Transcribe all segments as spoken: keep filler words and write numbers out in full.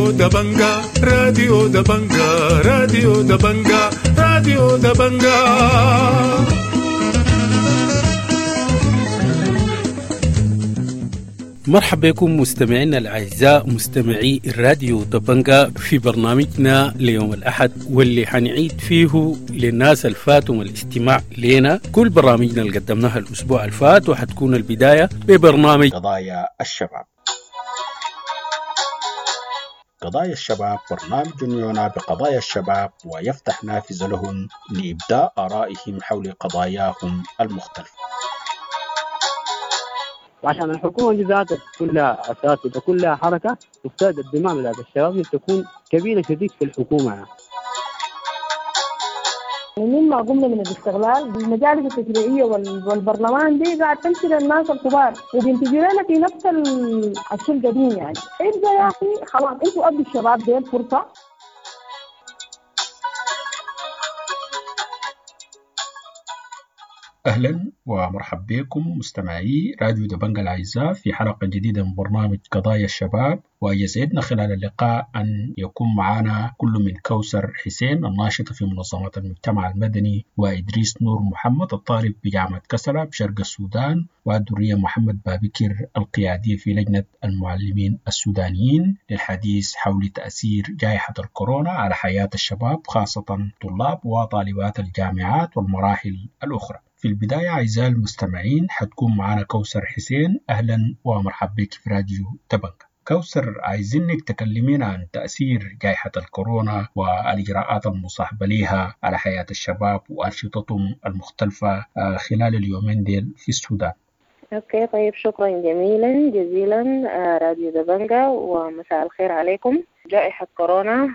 راديو دبنجا راديو دبنجا راديو دبنجا راديو دبنجا. مرحبا بكم مستمعينا الأعزاء مستمعي الراديو دبنجا في برنامجنا ليوم الأحد، واللي حنعيد فيه للناس الفاتهم الاستماع لنا كل برامجنا اللي قدمناها الأسبوع الفات، وحتكون البداية ببرنامج قضايا الشباب. قضايا الشباب برنامج يعنى بقضايا الشباب ويفتح نافذة لهم لإبداء آرائهم حول قضاياهم المختلفة. وعشان الحكومة دي ذاتها كلها أساتذة كلها حركة تفتاد الدماء بتاعت الشباب تكون كبيرة شديد في الحكومة. يعني مما قمنا من الاستغلال المجالس التشريعية والبرلمان دي قاعد تمشي للناس الكبار وبينتجوا لنا في نفس الشيء القديم. يعني ابدا يا أخي خلاص انتوا أدوا الشباب دي الفرصة. أهلا ومرحبا بكم مستمعي راديو دبنجا الأعزاء في حلقة جديدة من برنامج قضايا الشباب، ويسعدنا خلال اللقاء أن يكون معنا كل من كوثر حسين الناشطة في منظمات المجتمع المدني، وإدريس نور محمد الطالب بجامعة كسلا بشرق السودان، والدرية محمد بابكر القيادية في لجنة المعلمين السودانيين، للحديث حول تأثير جائحة الكورونا على حياة الشباب خاصة طلاب وطالبات الجامعات والمراحل الأخرى. في البداية أعزائي المستمعين حتكون معنا كوثر حسين. أهلا ومرحبا بك في راديو دبنجا. كوثر، عايزينك تكلمينا عن تأثير جائحة الكورونا والإجراءات المصاحبة لها على حياة الشباب وأنشطتهم المختلفة خلال اليومين ديل في السودان. okay طيب، شكرا جميلا جزيلا راديو دبنجا ومساء الخير عليكم. جائحة كورونا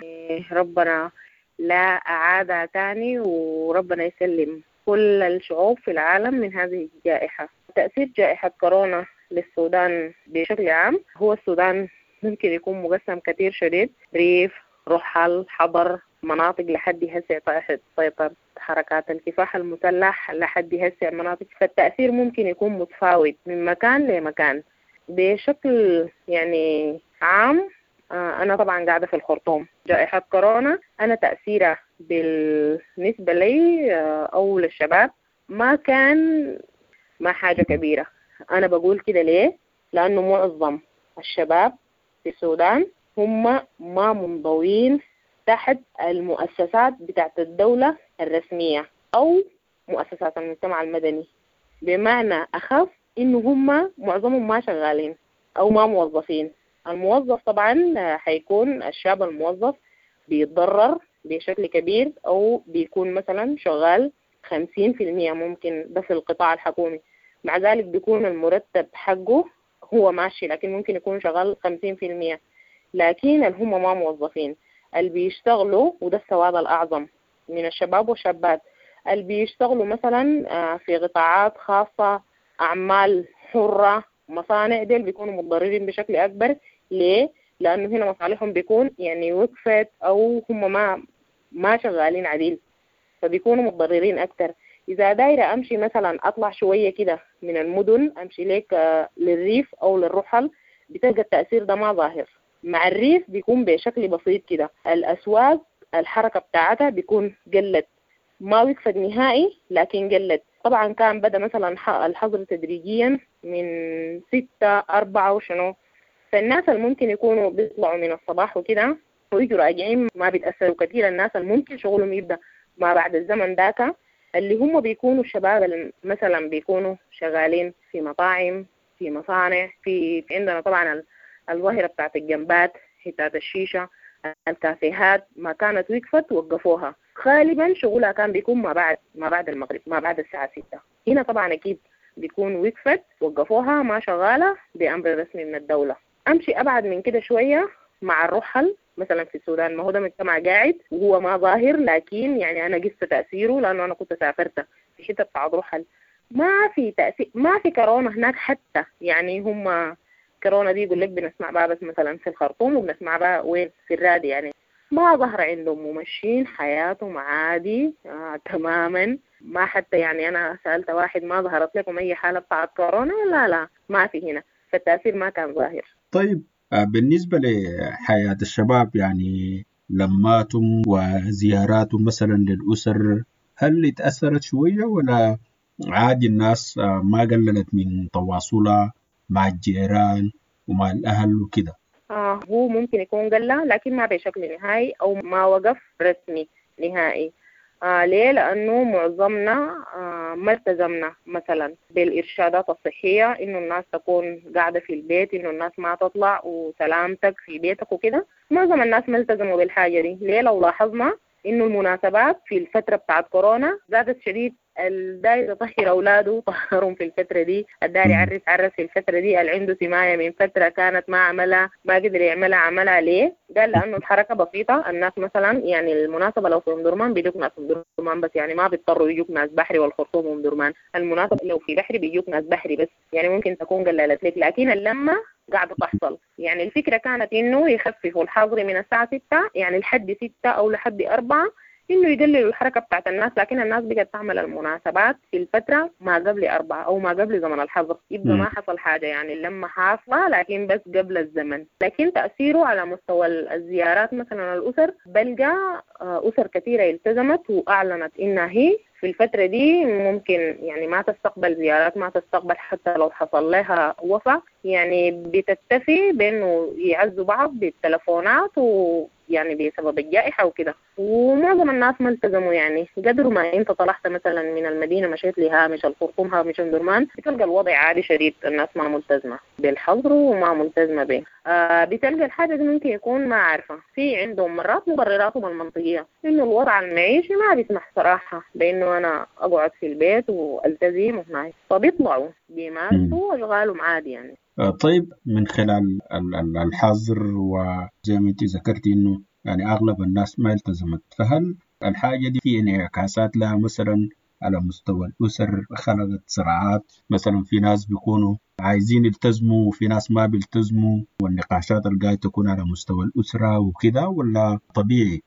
ربنا لا أعادها تاني، وربنا يسلم كل الشعوب في العالم من هذه الجائحة. تأثير جائحة كورونا للسودان بشكل عام، هو السودان ممكن يكون مقسم كثير شديد، ريف، رحل، حضر، مناطق لحد هسه تحت سيطرة حركات الكفاح المسلح، لحد هسه مناطق، فالتأثير ممكن يكون متفاوت من مكان لمكان بشكل يعني عام. أنا طبعا قاعدة في الخرطوم. جائحة كورونا أنا تأثيرها بالنسبة لي أو للشباب ما كان ما حاجة كبيرة. أنا بقول كده ليه؟ لأنه معظم الشباب في السودان هم ما منضوين تحت المؤسسات بتاعت الدولة الرسمية أو مؤسسات المجتمع المدني، بمعنى أخف إنه هم معظمهم ما شغالين أو ما موظفين. الموظف طبعا حيكون الشاب الموظف بيتضرر بشكل كبير، أو بيكون مثلا شغال خمسين في المية ممكن ده في القطاع الحكومي، مع ذلك بيكون المرتب حقه هو ماشي، لكن ممكن يكون شغال خمسين في المية. لكن اللي هم ما موظفين اللي بيشتغلوا، وده السواد الأعظم من الشباب والشابات، اللي بيشتغلوا مثلا في قطاعات خاصة، أعمال حرة، مصانع، ديل بيكونوا متضررين بشكل أكبر. ليه؟ لأنه هنا مصالحهم بيكون يعني وقفت أو هم ما ما شغالين عديل، فبيكونوا متضررين أكتر. إذا دايرة أمشي مثلا أطلع شوية كده من المدن، أمشي ليك للريف أو للرحل، بتلقى التأثير ده ما ظاهر. مع الريف بيكون بشكل بسيط كده، الأسواق الحركة بتاعتها بيكون قلت، ما وقفت نهائي لكن قلت. طبعا كان بدأ مثلا الحظر تدريجيا من ستة أربعة وشنو، فالناس اللي ممكن يكونوا بيطلعوا من الصباح وكده ويجوا راجعين ما بيتأثروا كثير. الناس اللي ممكن شغلهم يبدأ ما بعد الزمن داك، اللي هم بيكونوا الشباب اللي مثلا بيكونوا شغالين في مطاعم، في مصانع، في عندنا طبعا الظاهرة بتاعت الجنبات، حتات الشيشة، الكافيهات، ما كانت وقفت وقفوها. غالبا شغلها كان بيكون ما بعد ما بعد المغرب، ما بعد الساعة ستة. هنا طبعا أكيد بيكون وقفت وقفوها ما شغالة بأمر رسمي من الدولة. أمشي أبعد من كده شوية مع الرحل مثلا في السودان، ما هو ده مجتمع قاعد وهو ما ظاهر، لكن يعني أنا قست تأثيره لأنه أنا كنت سافرت في حتة بتاع رحل، ما في تأثير، ما في كورونا هناك حتى. يعني هم كورونا دي يقول لك بنسمع بها بس مثلا في الخرطوم وبنسمع بها وين في الرادي، يعني ما ظهر عندهم، ممشين حياتهم عادي آه تماما. ما حتى يعني أنا سألت واحد ما ظهرت لكم أي حالة بتاعت كورونا؟ لا لا ما في هنا، فالتأثير ما كان ظاهر. طيب بالنسبة لحياة الشباب يعني لماتهم وزياراتهم مثلا للأسر، هل اتأثرت شوية ولا عادي الناس ما قللت من تواصلها مع الجيران ومع الأهل وكده؟ آه هو ممكن يكون قل لكن ما بشكل نهائي أو ما وقف رسمي نهائي. آه ليه؟ لأنه معظمنا آه ما التزمنا مثلا بالإرشادات الصحية، إنه الناس تكون قاعدة في البيت، إنه الناس ما تطلع وسلامتك في بيتك وكده. معظم الناس ما التزموا بالحاجة دي. ليه؟ لو لاحظنا إنه المناسبات في الفترة بتاعت كورونا زادت شديد. الداير يطهر أولاده طهرهم في الفترة دي، الداير يعرس عرس في الفترة دي، اللي عنده سماية من فترة كانت ما عملها ما قدر يعملها عملها. ليه؟ قال لأنه الحركة بسيطة. الناس مثلا يعني المناسبة لو في أم درمان بيجوك ناس أم درمان بس، يعني ما بيضطروا يجوك ناس بحري والخرطوم وأم درمان. المناسبة لو في بحري بيجوك ناس بحري بس، يعني ممكن تكون قللت لك، لكن اللمة قاعدة تحصل. يعني الفكرة كانت إنه يخففوا الحظر من الساعة ستة يعني لحد ستة أو لحد أربعة، إنه يقللوا الحركة بتاعت الناس، لكن الناس بقت تعمل المناسبات في الفترة ما قبل أربعة أو ما قبل زمن الحظر، يبقى ما حصل حاجة، يعني اللمة حاصلة لكن بس قبل الزمن. لكن تأثيره على مستوى الزيارات مثلا الأسر، بلقى أسر كثيرة التزمت وأعلنت إنها هي في الفترة دي ممكن يعني ما تستقبل زيارات، ما تستقبل حتى لو حصل لها وفاة، يعني بتكتفي بأنه يعزوا بعض بالتلفونات ويعني بسبب الجائحة وكده. ومعظم الناس ما التزموا، يعني قدر ما انت طلعت مثلا من المدينة مشيت لهامش الخرطوم هامش أم درمان بتلقى الوضع عادي شديد، الناس ما ملتزمة بالحظر وما ملتزمة به. آه بتلقى الحاجة دي ممكن يكون ما عارفة، في عندهم مرات مبرراتهم المنطقية إنه الوضع المعيشي ما بيسمح صراحة بإنه أنا أقعد في البيت وألتزم وهناك، فبيطلعوا بيمارسوا أشغالهم عادي يعني. طيب من خلال الحظر وزي ما أنت ذكرتي إنه يعني أغلب الناس ما التزمت، فهل الحاجة دي في انعكاسات لها مثلا على مستوى الأسر، خلقت صراعات مثلا في ناس بيكونوا عايزين يلتزموا وفي ناس ما بيلتزموا، والنقاشات اللي قاعدة تكون على مستوى الأسرة وكده، ولا طبيعي؟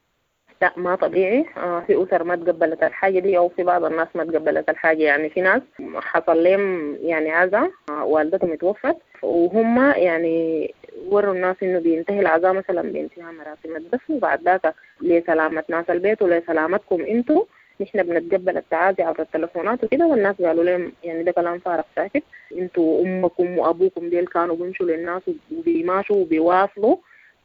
لا ما طبيعي. آه في أسر ما تقبلت الحاجة دي، أو في بعض الناس ما تقبلت الحاجة. يعني في ناس حصل لهم يعني عزاء، آه والدتهم اتوفت، وهم يعني وروا الناس إنه بينتهي العزاء مثلا بانتهاء مراسم الدفن، وبعد ذاك لسلامة ناس البيت ولسلامتكم انتوا نحن بنتقبل التعازي عبر التلفونات وكده. والناس قالوا لهم يعني ده كلام فارغ ساكت، انتوا أمكم وأبوكم ديل كانوا بيمشوا للناس وبيماشوا وبيواصلوا،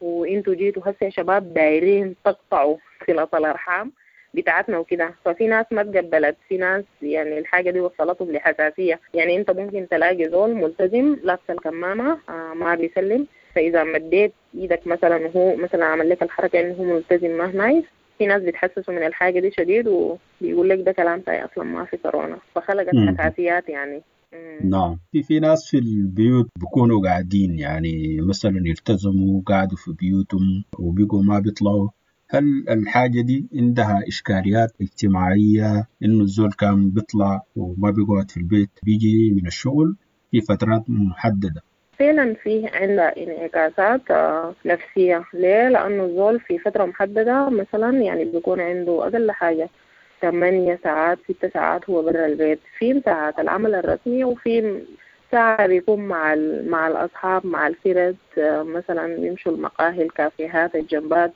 وانتوا جيتوا هسه شباب دايرين تقطعوا صلة الأرحام بتاعتنا وكده. ففي ناس ما تقبلت، في ناس يعني الحاجة دي وصلتهم لحساسية. يعني انت ممكن تلاقي زول ملتزم لابس الكمامة آه ما بيسلم، فإذا مديت ايدك مثلا وهو مثلا عمل لك الحركة انه هو ملتزم ما نايس، في ناس بيتحسسوا من الحاجة دي شديد وبيقول لك ده كلام تاي أصلا ما في كورونا، فخلقت حساسيات يعني. نعم، في في ناس في البيوت بيكونوا قاعدين يعني مثلا يلتزموا قاعدوا في بيوتهم وبيقوا ما بيطلعوا. هل الحاجة دي عندها إشكاليات اجتماعية إنه الزول كان بيطلع وما بيقعد في البيت بيجي من الشغل في فترات محددة؟ فعلا فيه عندها انعكاسات نفسية. ليه؟ لأنه الزول في فترة محددة مثلا يعني بيكون عنده أقل حاجة ثمانية ساعات ستة ساعات هو برا البيت، في ساعات العمل الرسمي وفي ساعة بيكون مع مع الأصحاب مع الفرد، مثلا بيمشوا المقاهي الكافيهات الجنبات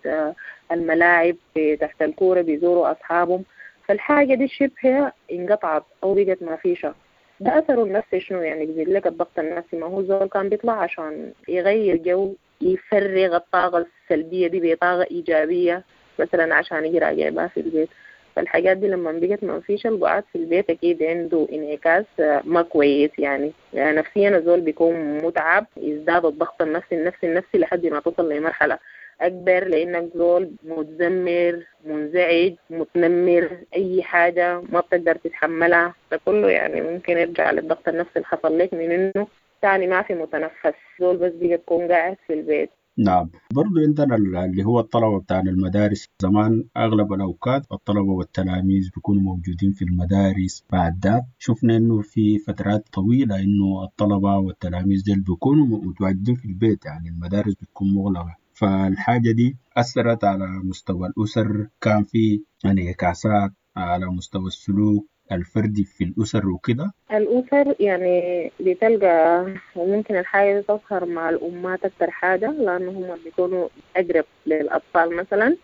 الملاعب تحت الكورة بيزوروا أصحابهم. فالحاجة دي شبه انقطعت أو بقت ما فيشة. ده أثره النفسي شنو؟ يعني بيزيد لك الضغط النفسي. ما هو زول كان بيطلع عشان يغير جو، يفرغ الطاقة السلبية دي بطاقة إيجابية مثلا عشان يجي راجع بها في البيت. فالحاجات دي لما بقت ما فيش القعاد في البيت أكيد عنده انعكاس ما كويس يعني. يعني نفسيا الزول بيكون متعب، يزداد الضغط النفسي النفسي النفسي لحد ما تصل لمرحلة أكبر، لأنك زول متذمر منزعج متنمر، أي حاجة ما بتقدر تتحملها. ده كله يعني ممكن يرجع للضغط النفسي اللي حصل لك من إنه تاني ما في متنفس، زول بس بيجي تكون قاعد في البيت. نعم، برضو عندنا اللي هو الطلبة بتاع المدارس. زمان أغلب الأوقات الطلبة والتلاميذ بيكونوا موجودين في المدارس. بعد ذاك شفنا إنه في فترات طويلة إنه الطلبة والتلاميذ ديل بيكونوا متواجدين في البيت، يعني المدارس بتكون مغلقة. فالحاجة دي أثرت على مستوى الأسر، كان في انعكاسات على مستوى السلوك، الفردي في الأسر وكده؟ الأسر يعني بتلقى وممكن الحاجة تظهر مع الأمهات أكتر حاجة، لأنه هم بيكونوا أقرب للأطفال مثلا،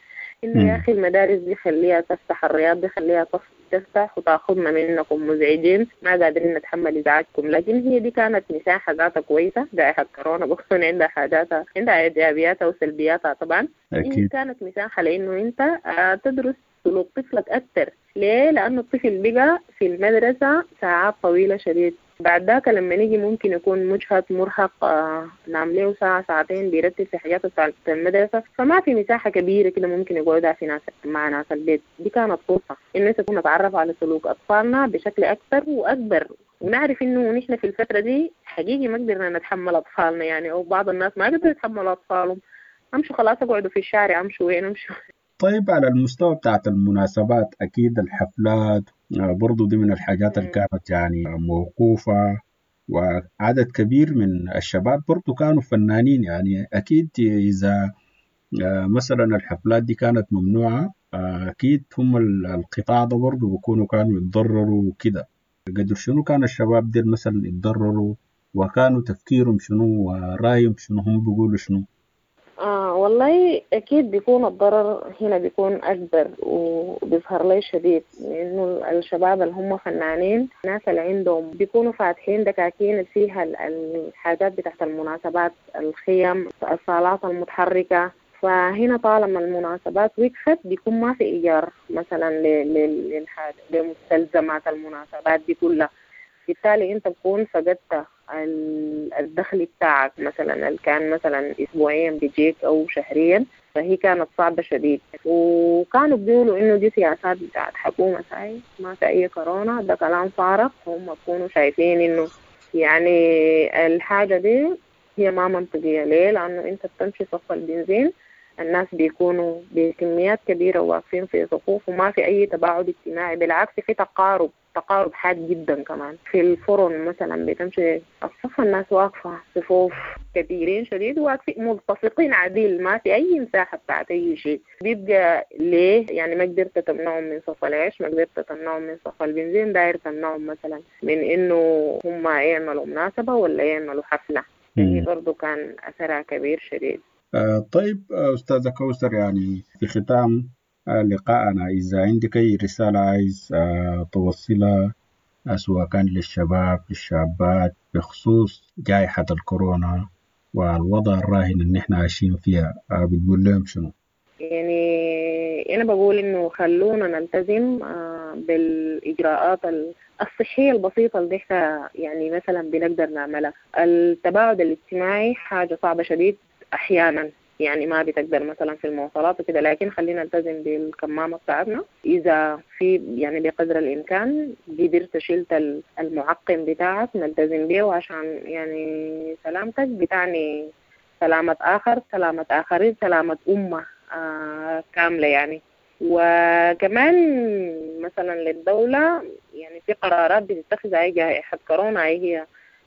إنه يا أخي المدارس دي خليها تفتح، الرياض دي خليها تفتح وتاخذنا منكم مزعجين، ما قادرين نتحمل إزعاجكم. لكن هي دي كانت مساحة ذاتها كويسة، جائحة كورونا بكون عندها حاجاتها، عندها إيجابياتها وسلبياتها طبعا. أكيد. كانت مساحة لأنه أنت تدرس سلوك طفلك أكثر. ليه؟ لأنه الطفل بقى في المدرسة ساعات طويلة شديد، بعد ذاك لما نيجي ممكن يكون مجهد مرهق، آه نعم له ساعة ساعتين بيرتب في حاجاته بتاعت المدرسة، فما في مساحة كبيرة كده ممكن يقعدها في ناس مع ناس البيت. دي كانت فرصة إنه نكون نتعرف على سلوك أطفالنا بشكل أكثر وأكبر، ونعرف إنه نحن في الفترة دي حقيقي ما قدرنا نتحمل أطفالنا يعني، أو بعض الناس ما قدروا يتحملوا أطفالهم، أمشوا خلاص أقعدوا في الشارع، أمشوا وين أمشوا. طيب على المستوى بتاعت المناسبات، أكيد الحفلات برضو دي من الحاجات اللي كانت يعني موقوفة، وعدد كبير من الشباب برضو كانوا فنانين، يعني أكيد إذا مثلا الحفلات دي كانت ممنوعة أكيد هم القطاع ده برضو بيكونوا كانوا يتضرروا وكده. قدر شنو كان الشباب دي مثلا يتضرروا، وكانوا تفكيرهم شنو ورأيهم شنو، هم بيقولوا شنو؟ آه والله أكيد بيكون الضرر هنا بيكون أكبر وبيظهر لي شديد، لأنه الشباب اللي هم فنانين، الناس اللي عندهم بيكونوا فاتحين دكاكين فيها الحاجات بتاعت المناسبات، الخيم، الصالات المتحركة، فهنا طالما المناسبات وقفت بيكون ما في إيجار مثلا للحاجة لمستلزمات المناسبات دي كلها، بالتالي أنت بتكون فقدت الدخل بتاعك مثلا اللي كان مثلا اسبوعيا بيجيك او شهريا، فهي كانت صعبة شديد. وكانوا بيقولوا انه دي سياسات بتاعت حكومة ساي، ما في اي كورونا، ده كلام فارغ. هم بيكونوا شايفين انه يعني الحاجة دي هي ما منطقية. ليه؟ لانه انت بتمشي صف البنزين الناس بيكونوا بكميات كبيرة واقفين في صفوف وما في اي تباعد اجتماعي، بالعكس في تقارب تقارب حاد جدا. كمان في الفرن مثلا بتمشي الصف الناس واقفة صفوف كبيرين شديد واقفين ملتصقين عديل، ما في أي مساحة بتاعت أي شيء. بيبقى ليه يعني ما قدرت تمنعهم من صف العيش، ما قدرت تمنعهم من صف البنزين، داير تمنعهم مثلا من إنه هم يعملوا مناسبة ولا يعملوا حفلة. هي برضو كان أثرها كبير شديد. آه طيب أستاذة كوثر، يعني في ختام لقاءنا إذا عندك أي رسالة عايز توصلها سواء كان للشباب للشابات بخصوص جائحة الكورونا والوضع الراهن اللي احنا عايشين فيها، بتقول لهم شنو؟ يعني أنا بقول إنه خلونا نلتزم بالإجراءات الصحية البسيطة اللي احنا يعني مثلا بنقدر نعملها. التباعد الاجتماعي حاجة صعبة شديد أحيانا، يعني ما بتقدر مثلا في المواصلات وكده، لكن خلينا نلتزم بالكمامة بتاعتنا. إذا في يعني بقدر الإمكان قدرت شلت المعقم بتاعك نلتزم به، عشان يعني سلامتك بتعني سلامة آخر، سلامة آخرين، سلامة أمة آه كاملة يعني. وكمان مثلا للدولة يعني في قرارات بتتخذ أي جائحة كورونا هي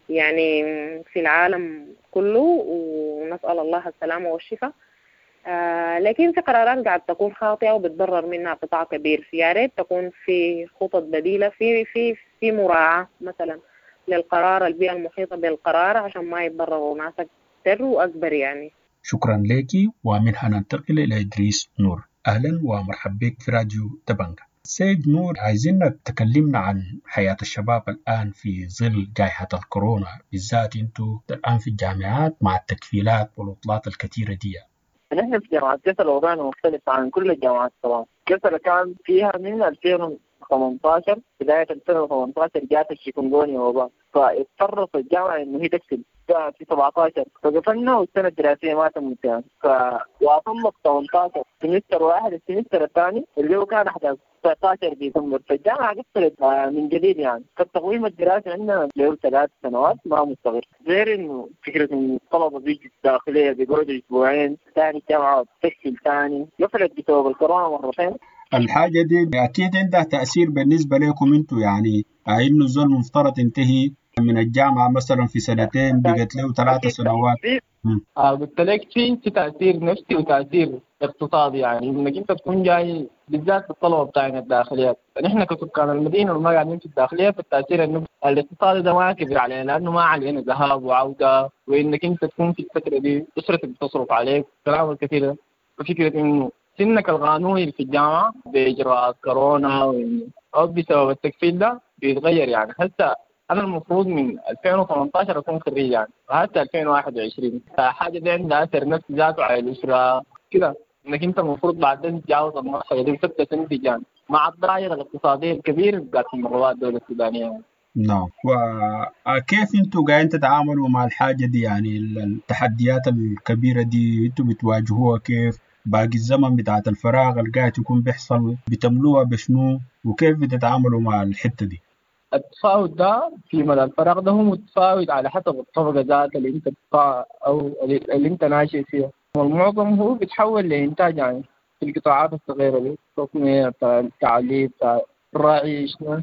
يعني في العالم كله، ونسأل الله السلامة والشفاء، آه لكن في قرارات قاعد تكون خاطئة وبتضرر منها قطاع كبير. يا ريت تكون في خطط بديلة، في في في مراعاة مثلا للقرار، البيئة المحيطة بالقرار عشان ما يتضرروا ناس أكثر وأكبر يعني. شكرا لك. ومنها ننتقل إلى إدريس نور. أهلا ومرحبا بك في راديو دبنجا. سيد نور، عايزينك تكلمنا عن حياة الشباب الآن في ظل جائحة الكورونا، بالذات انتوا الآن في الجامعات مع التكفيلات والعطلات الكثيرة دي. نحن في جامعة كسلا وضعنا مختلف عن كل الجامعات طبعا. كسلا كان فيها من ألفين وثمانية عشر، بداية ألفين وثمانية عشر جات الشيكونغونيا وباء، فاضطرت الجامعة إنه هي تقفل في سبعة عشر، فقفلنا والسنة الدراسية ما تمت يعني. فوصلنا ثمانية عشر semester واحد، ال semester الثاني اللي هو كان أحداث تسعة عشر ديسمبر، فالجامعة قفلت من جديد يعني. فالتقويم الدراسي عندنا له ثلاث سنوات ما مستقر، غير إنه فكرة إنه الطلبة بيجوا الداخلية بيقعدوا أسبوعين ثاني الجامعة بتقفل ثاني، قفلت بسبب الكورونا مرتين. الحاجة دي أكيد عندها تأثير بالنسبة لكم أنتوا، يعني إنه الزول المفترض ينتهي من الجامعة مثلا في سنتين بقت له ثلاثة سنوات. آه قلت لك في في تأثير نفسي وتأثير اقتصادي، يعني انك انت تكون جاي بالذات الطلبة بتاعنا الداخليات. نحن كسكان المدينة وما قاعدين في الداخلية، فالتاثير انه الاقتصادي ده ما كبير علينا لانه ما علينا ذهاب وعوده، وانك انت تكون في الفترة دي اسرتك بتصرف عليك كلام الكثير ده. ففكره انه سنك القانوني في الجامعة باجراءات كورونا او بسبب التكفيل ده بيتغير. يعني هسه انا المفروض من ألفين وثمانطاشر اكون خريج يعني، وهسه ألفين وواحد وعشرين، فحاجه دي عندها اثر نفسي ذاته على الاسرة كده، انك انت المفروض بعدين تتجاوز المرحلة دي وتبدا تنتج يعني مع الدائرة الاقتصادية الكبيرة بتاعت المرات الدولة السودانية. نعم، وكيف انتوا قاعدين تتعاملوا مع الحاجة دي؟ يعني التحديات الكبيرة دي انتوا بتواجهوها كيف؟ باقي الزمن بتاعت الفراغ اللي قاعد يكون بيحصل بتملوها بشنو؟ وكيف بتتعاملوا مع الحتة دي؟ التفاوت ده في مدى الفراغ ده هو متفاوت على حسب الطبقة ذات اللي انت بتقع او اللي انت ناشئ فيها، والمعظم هو بيتحول لإنتاج يعني في القطاعات الصغيرة دي، التصنيع، التعليم، الرعي شنو،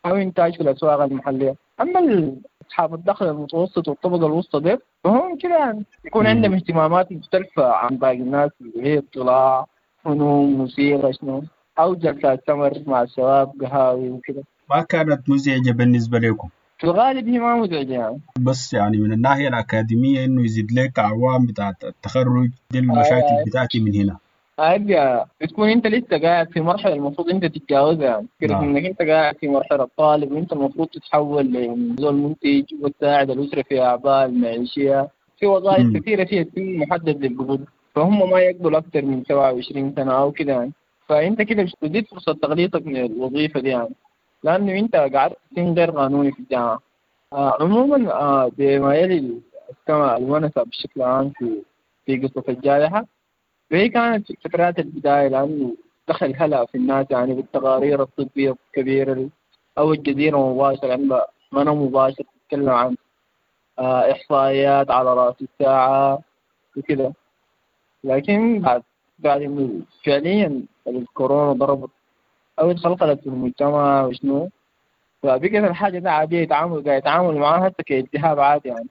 أو إنتاج في الأسواق المحلية. أما أصحاب الدخل المتوسط والطبقة الوسطى دي فهم كده يعني يكون عندهم اهتمامات مختلفة عن باقي الناس، اللي هي اطلاع، فنون، موسيقى شنو، أو جلسات سمر مع الشباب، قهاوي وكده. ما كانت مزعجة بالنسبة لكم؟ في الغالب هي ما مزعجة يعني. بس يعني من الناحية الأكاديمية إنه يزيد لك أعوام بتاعت التخرج دي المشاكل آه بتاعتي من هنا. أيوة، بتكون أنت لسه قاعد في مرحلة المفروض أنت تتجاوزها يعني، فكرة آه. إنك أنت قاعد في مرحلة طالب وأنت المفروض تتحول لزول منتج وتساعد الأسرة في أعباء المعيشية، في وظائف كثيرة فيها سن محدد للقبول، فهم ما يقبلوا أكثر من سبعة وعشرين سنة أو كده يعني. فأنت كده بتزيد فرصة تغليطك من الوظيفة دي يعني، لأنه أنت قاعد سن غير قانوني في الجامعة. آه عموما آه بما يلي السماء الونسة بشكل عام في في قصة الجائحة، وهي كانت في فترات البداية لأنه دخل هلا في الناس يعني بالتقارير الطبية الكبيرة أو الجزيرة مباشرة عندها منى مباشر تتكلم عن آه إحصائيات على رأس الساعة وكذا. لكن بعد بعد إنه فعليا الكورونا ضربت أو اتخلقت في المجتمع وشنو، فبقت الحاجة ده عادية، يتعامل قاعد يتعامل معاها حتى كالتهاب عادي يعني.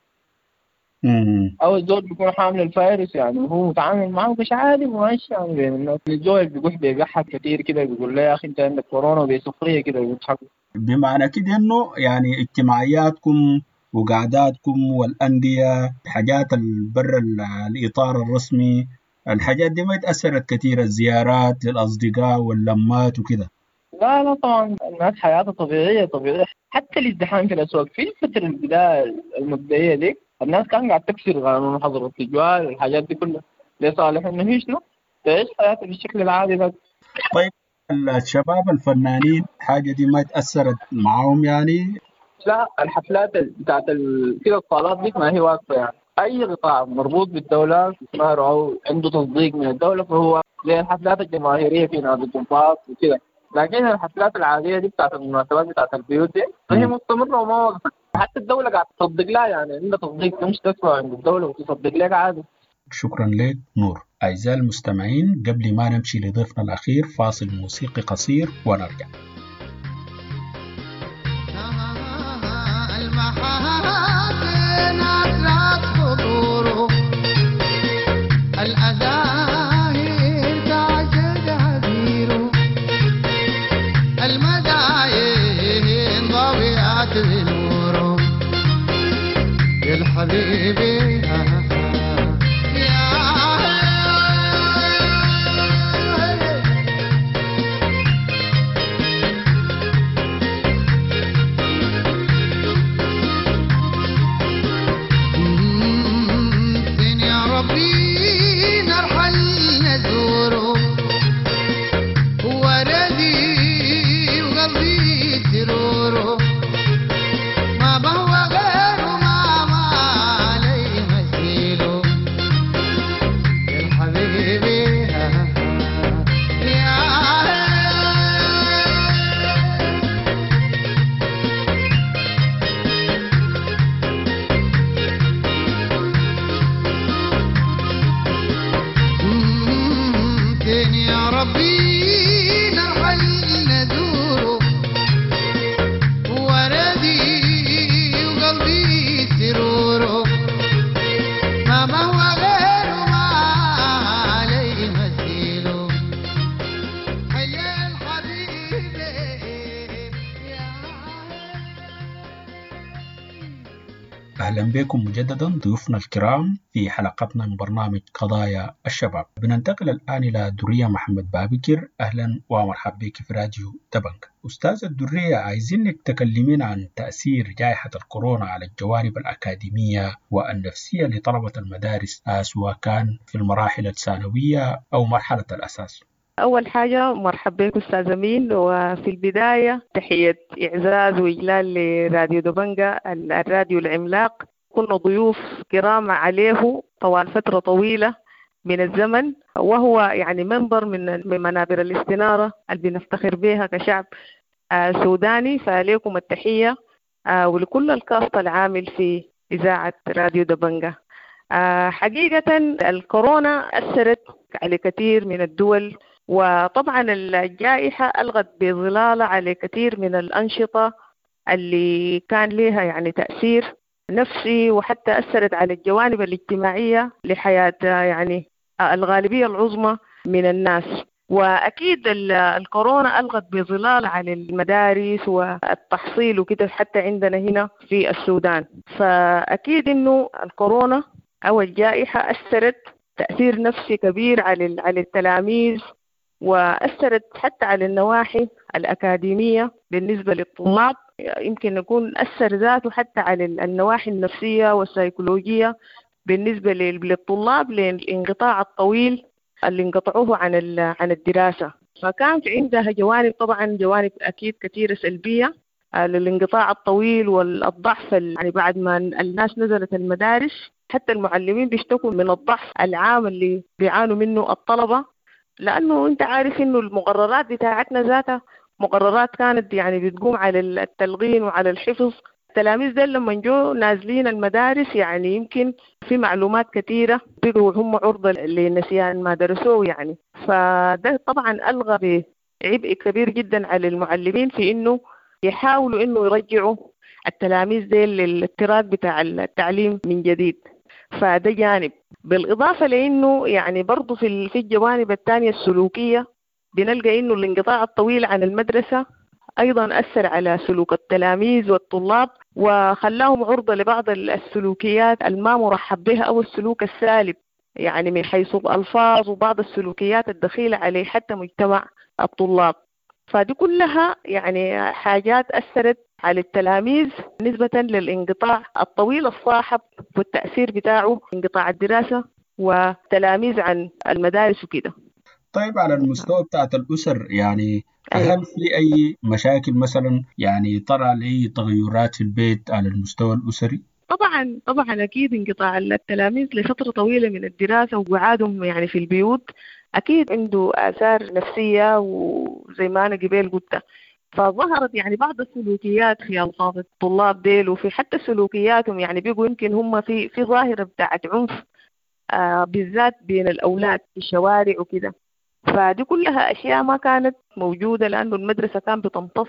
مم. أو الزول بيكون حامل الفيروس يعني وهو متعامل معه مش عادي وماشي يعني بين الناس. الزول بيقول بيضحك كثير كده، بيقول له يا أخي أنت عندك كورونا، وبيسخرية كده وبيضحكوا. بمعنى كده إنه يعني اجتماعياتكم وقعداتكم والأندية، حاجات برا الإطار الرسمي، الحاجات دي ما اتأثرت كثير، الزيارات للأصدقاء واللمات وكده؟ لا لا طبعا الناس حياتها طبيعية طبيعية، حتى الازدحام في الأسواق في الفترة البداية المبدئية دي الناس كان قاعد تكسر قانون حظر التجوال والحاجات دي كلها لصالح إنه هي شنو تعيش حياتها بالشكل العادي ده. طيب الشباب الفنانين الحاجة دي ما تأثرت معاهم يعني؟ لا، الحفلات بتاعت كده الصالات دي ما هي واقفة يعني، أي قطاع مربوط بالدولة استثمار أو عنده تصديق من الدولة فهو زي الحفلات الجماهيرية في نادي الضباط وكده، لكن الحفلات العادية دي بتاعت المناسبات بتاعت البيوت دي فهي مستمرة وما وقفت، حتى الدولة قاعدة تصدق لها يعني، عندها تصديق مش تدفع عند الدولة وتصدق لك عادي. شكرا لك نور. أعزائي المستمعين، قبل ما نمشي لضيفنا الأخير فاصل موسيقي قصير ونرجع. حبيبي يا فين يا ربي نرحل نزوره وردي وقلبي سروره ما بهوى غيره ما ما علي. أهلا بكم مجددا ضيوفنا الكرام في حلقتنا من برنامج قضايا الشباب. بننتقل الآن إلى درية محمد بابكر. أهلا ومرحبا بك في راديو دبنجا. أستاذة درية، عايزينك تكلمين عن تأثير جائحة الكورونا على الجوانب الأكاديمية والنفسية لطلبة المدارس، سواء كان في المراحل الثانوية أو مرحلة الأساس. أول حاجة مرحبا بك أستاذ أمين، وفي البداية تحية إعزاز وإجلال لراديو دبنجا الراديو العملاق. كنا ضيوف كرام عليه طوال فترة طويلة من الزمن، وهو يعني منبر من من منابر الاستنارة اللي بنفتخر بها كشعب سوداني. فعليكم التحية ولكل الكاست العامل في إذاعة راديو دبنجا. حقيقة الكورونا أثرت على كثير من الدول، وطبعا الجائحة ألغت بظلالة على كثير من الأنشطة اللي كان لها يعني تأثير نفسي، وحتى أثرت على الجوانب الاجتماعية لحياة يعني الغالبية العظمى من الناس. وأكيد الكورونا ألغت بظلال على المدارس والتحصيل وكده حتى عندنا هنا في السودان. فأكيد إنه الكورونا أو الجائحة أثرت تأثير نفسي كبير على على التلاميذ، وأثرت حتى على النواحي الأكاديمية بالنسبة للطلاب. يمكن يكون أثر ذاته حتى على النواحي النفسية والسيكولوجية بالنسبة للطلاب، للانقطاع الطويل اللي انقطعوه عن عن الدراسة. فكانت عندها جوانب، طبعا جوانب أكيد كثيرة سلبية للانقطاع الطويل والضعف، يعني بعد ما الناس نزلت المدارس حتى المعلمين بيشتكوا من الضعف العام اللي بيعانوا منه الطلبة، لأنه أنت عارف إنه المقررات بتاعتنا ذاتها مقررات كانت يعني بتقوم على التلقين وعلى الحفظ. التلاميذ دول لما جو نازلين المدارس يعني يمكن في معلومات كثيرة بقوا هم عرضة لنسيان ما درسوه يعني. فده طبعا ألغى بعبء كبير جدا على المعلمين في إنه يحاولوا إنه يرجعوا التلاميذ دول للتراك بتاع التعليم من جديد. فده جانب، بالإضافة لأنه يعني برضو في في الجوانب الثانية السلوكية بنلقى إنه الانقطاع الطويل عن المدرسة أيضا أثر على سلوك التلاميذ والطلاب، وخلاهم عرضة لبعض السلوكيات الما مرحب بها أو السلوك السالب، يعني من حيث الألفاظ وبعض السلوكيات الدخيلة عليه حتى مجتمع الطلاب. فدي كلها يعني حاجات أثرت على التلاميذ نسبة للانقطاع الطويل الصاحب والتأثير بتاعه انقطاع الدراسة والتلاميذ عن المدارس وكده. طيب على المستوى بتاعت الأسر، يعني هل في أي مشاكل مثلا يعني طرأ لأي تغيرات في البيت على المستوى الأسري؟ طبعا طبعا أكيد انقطاع التلاميذ لفترة طويلة من الدراسة وقعادهم يعني في البيوت أكيد عنده آثار نفسية، وزي ما أنا قبل قلت فظهرت يعني بعض السلوكيات في ألفاظ الطلاب ديل، وفي حتى سلوكياتهم يعني بيقوا يمكن هم في في ظاهرة بتاعت عنف آه بالذات بين الأولاد في الشوارع وكده. فدي كلها أشياء ما كانت موجودة لأنه المدرسة كان بتمتص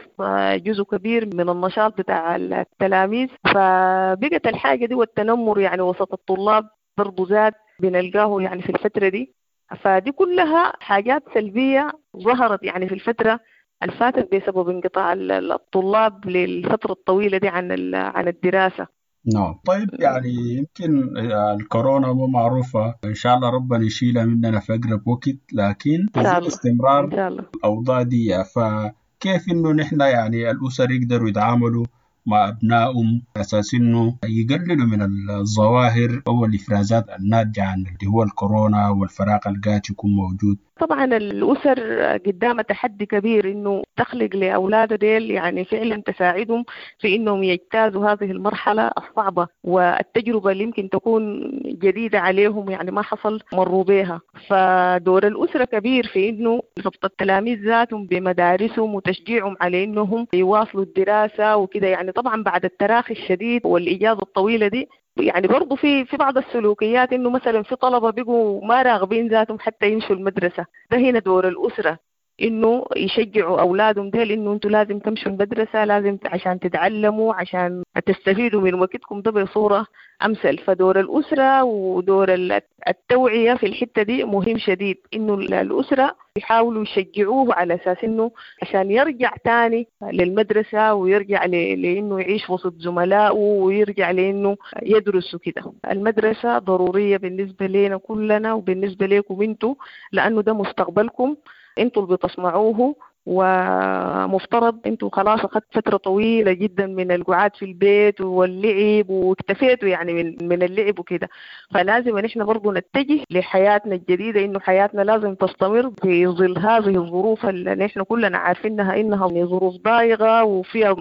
جزء كبير من النشاط بتاع التلاميذ. فبقت الحاجة دي والتنمر يعني وسط الطلاب برضو زاد بنلقاه يعني في الفترة دي. فدي كلها حاجات سلبية ظهرت يعني في الفترة الفاتت بسبب انقطاع الطلاب للفترة الطويلة دي عن عن الدراسة. نعم. طيب يعني يمكن الكورونا مو معروفة، إن شاء الله ربنا يشيلها مننا في أقرب وقت، لكن في استمرار الأوضاع دي، فكيف إنه نحن يعني الأسر يقدروا يتعاملوا مع أبنائهم أساس إنه يقللوا من الظواهر أو الإفرازات الناتجة عن اللي هو الكورونا والفراغ القاتل يكون موجود؟ طبعا الأسر قدامها تحدي كبير إنه تخلق لأولادها ديل يعني فعلا تساعدهم في إنهم يجتازوا هذه المرحلة الصعبة والتجربة اللي يمكن تكون جديدة عليهم، يعني ما حصل مروا بها. فدور الأسرة كبير في إنه ربط التلاميذ ذاتهم بمدارسهم وتشجيعهم على إنهم يواصلوا الدراسة وكده. يعني طبعا بعد التراخي الشديد والإجازة الطويلة دي يعني برضو في في بعض السلوكيات إنه مثلا في طلبة بيقوا ما راغبين ذاتهم حتى يمشوا المدرسة. ده هنا دور الأسرة انه يشجعوا اولادهم ديل انه انتوا لازم تمشوا المدرسة، لازم عشان تتعلموا، عشان تستفيدوا من وقتكم ده بصورة امثل. فدور الاسرة ودور التوعية في الحتة دي مهم شديد، انه الاسرة يحاولوا يشجعوه على اساس انه عشان يرجع تاني للمدرسة ويرجع لانه يعيش وسط زملائه ويرجع لانه يدرس وكده. المدرسة ضرورية بالنسبة لنا كلنا وبالنسبة لكم انتوا، لانه ده مستقبلكم انتوا اللي بتصنعوه، ومفترض انتوا خلاص اخذت فترة طويلة جدا من القعاد في البيت واللعب واكتفيتوا يعني من من اللعب وكده، فلازم نحن برضو نتجه لحياتنا الجديدة، انه حياتنا لازم تستمر في ظل هذه الظروف اللي نحن كلنا عارفينها انها ظروف ضايقة وفيها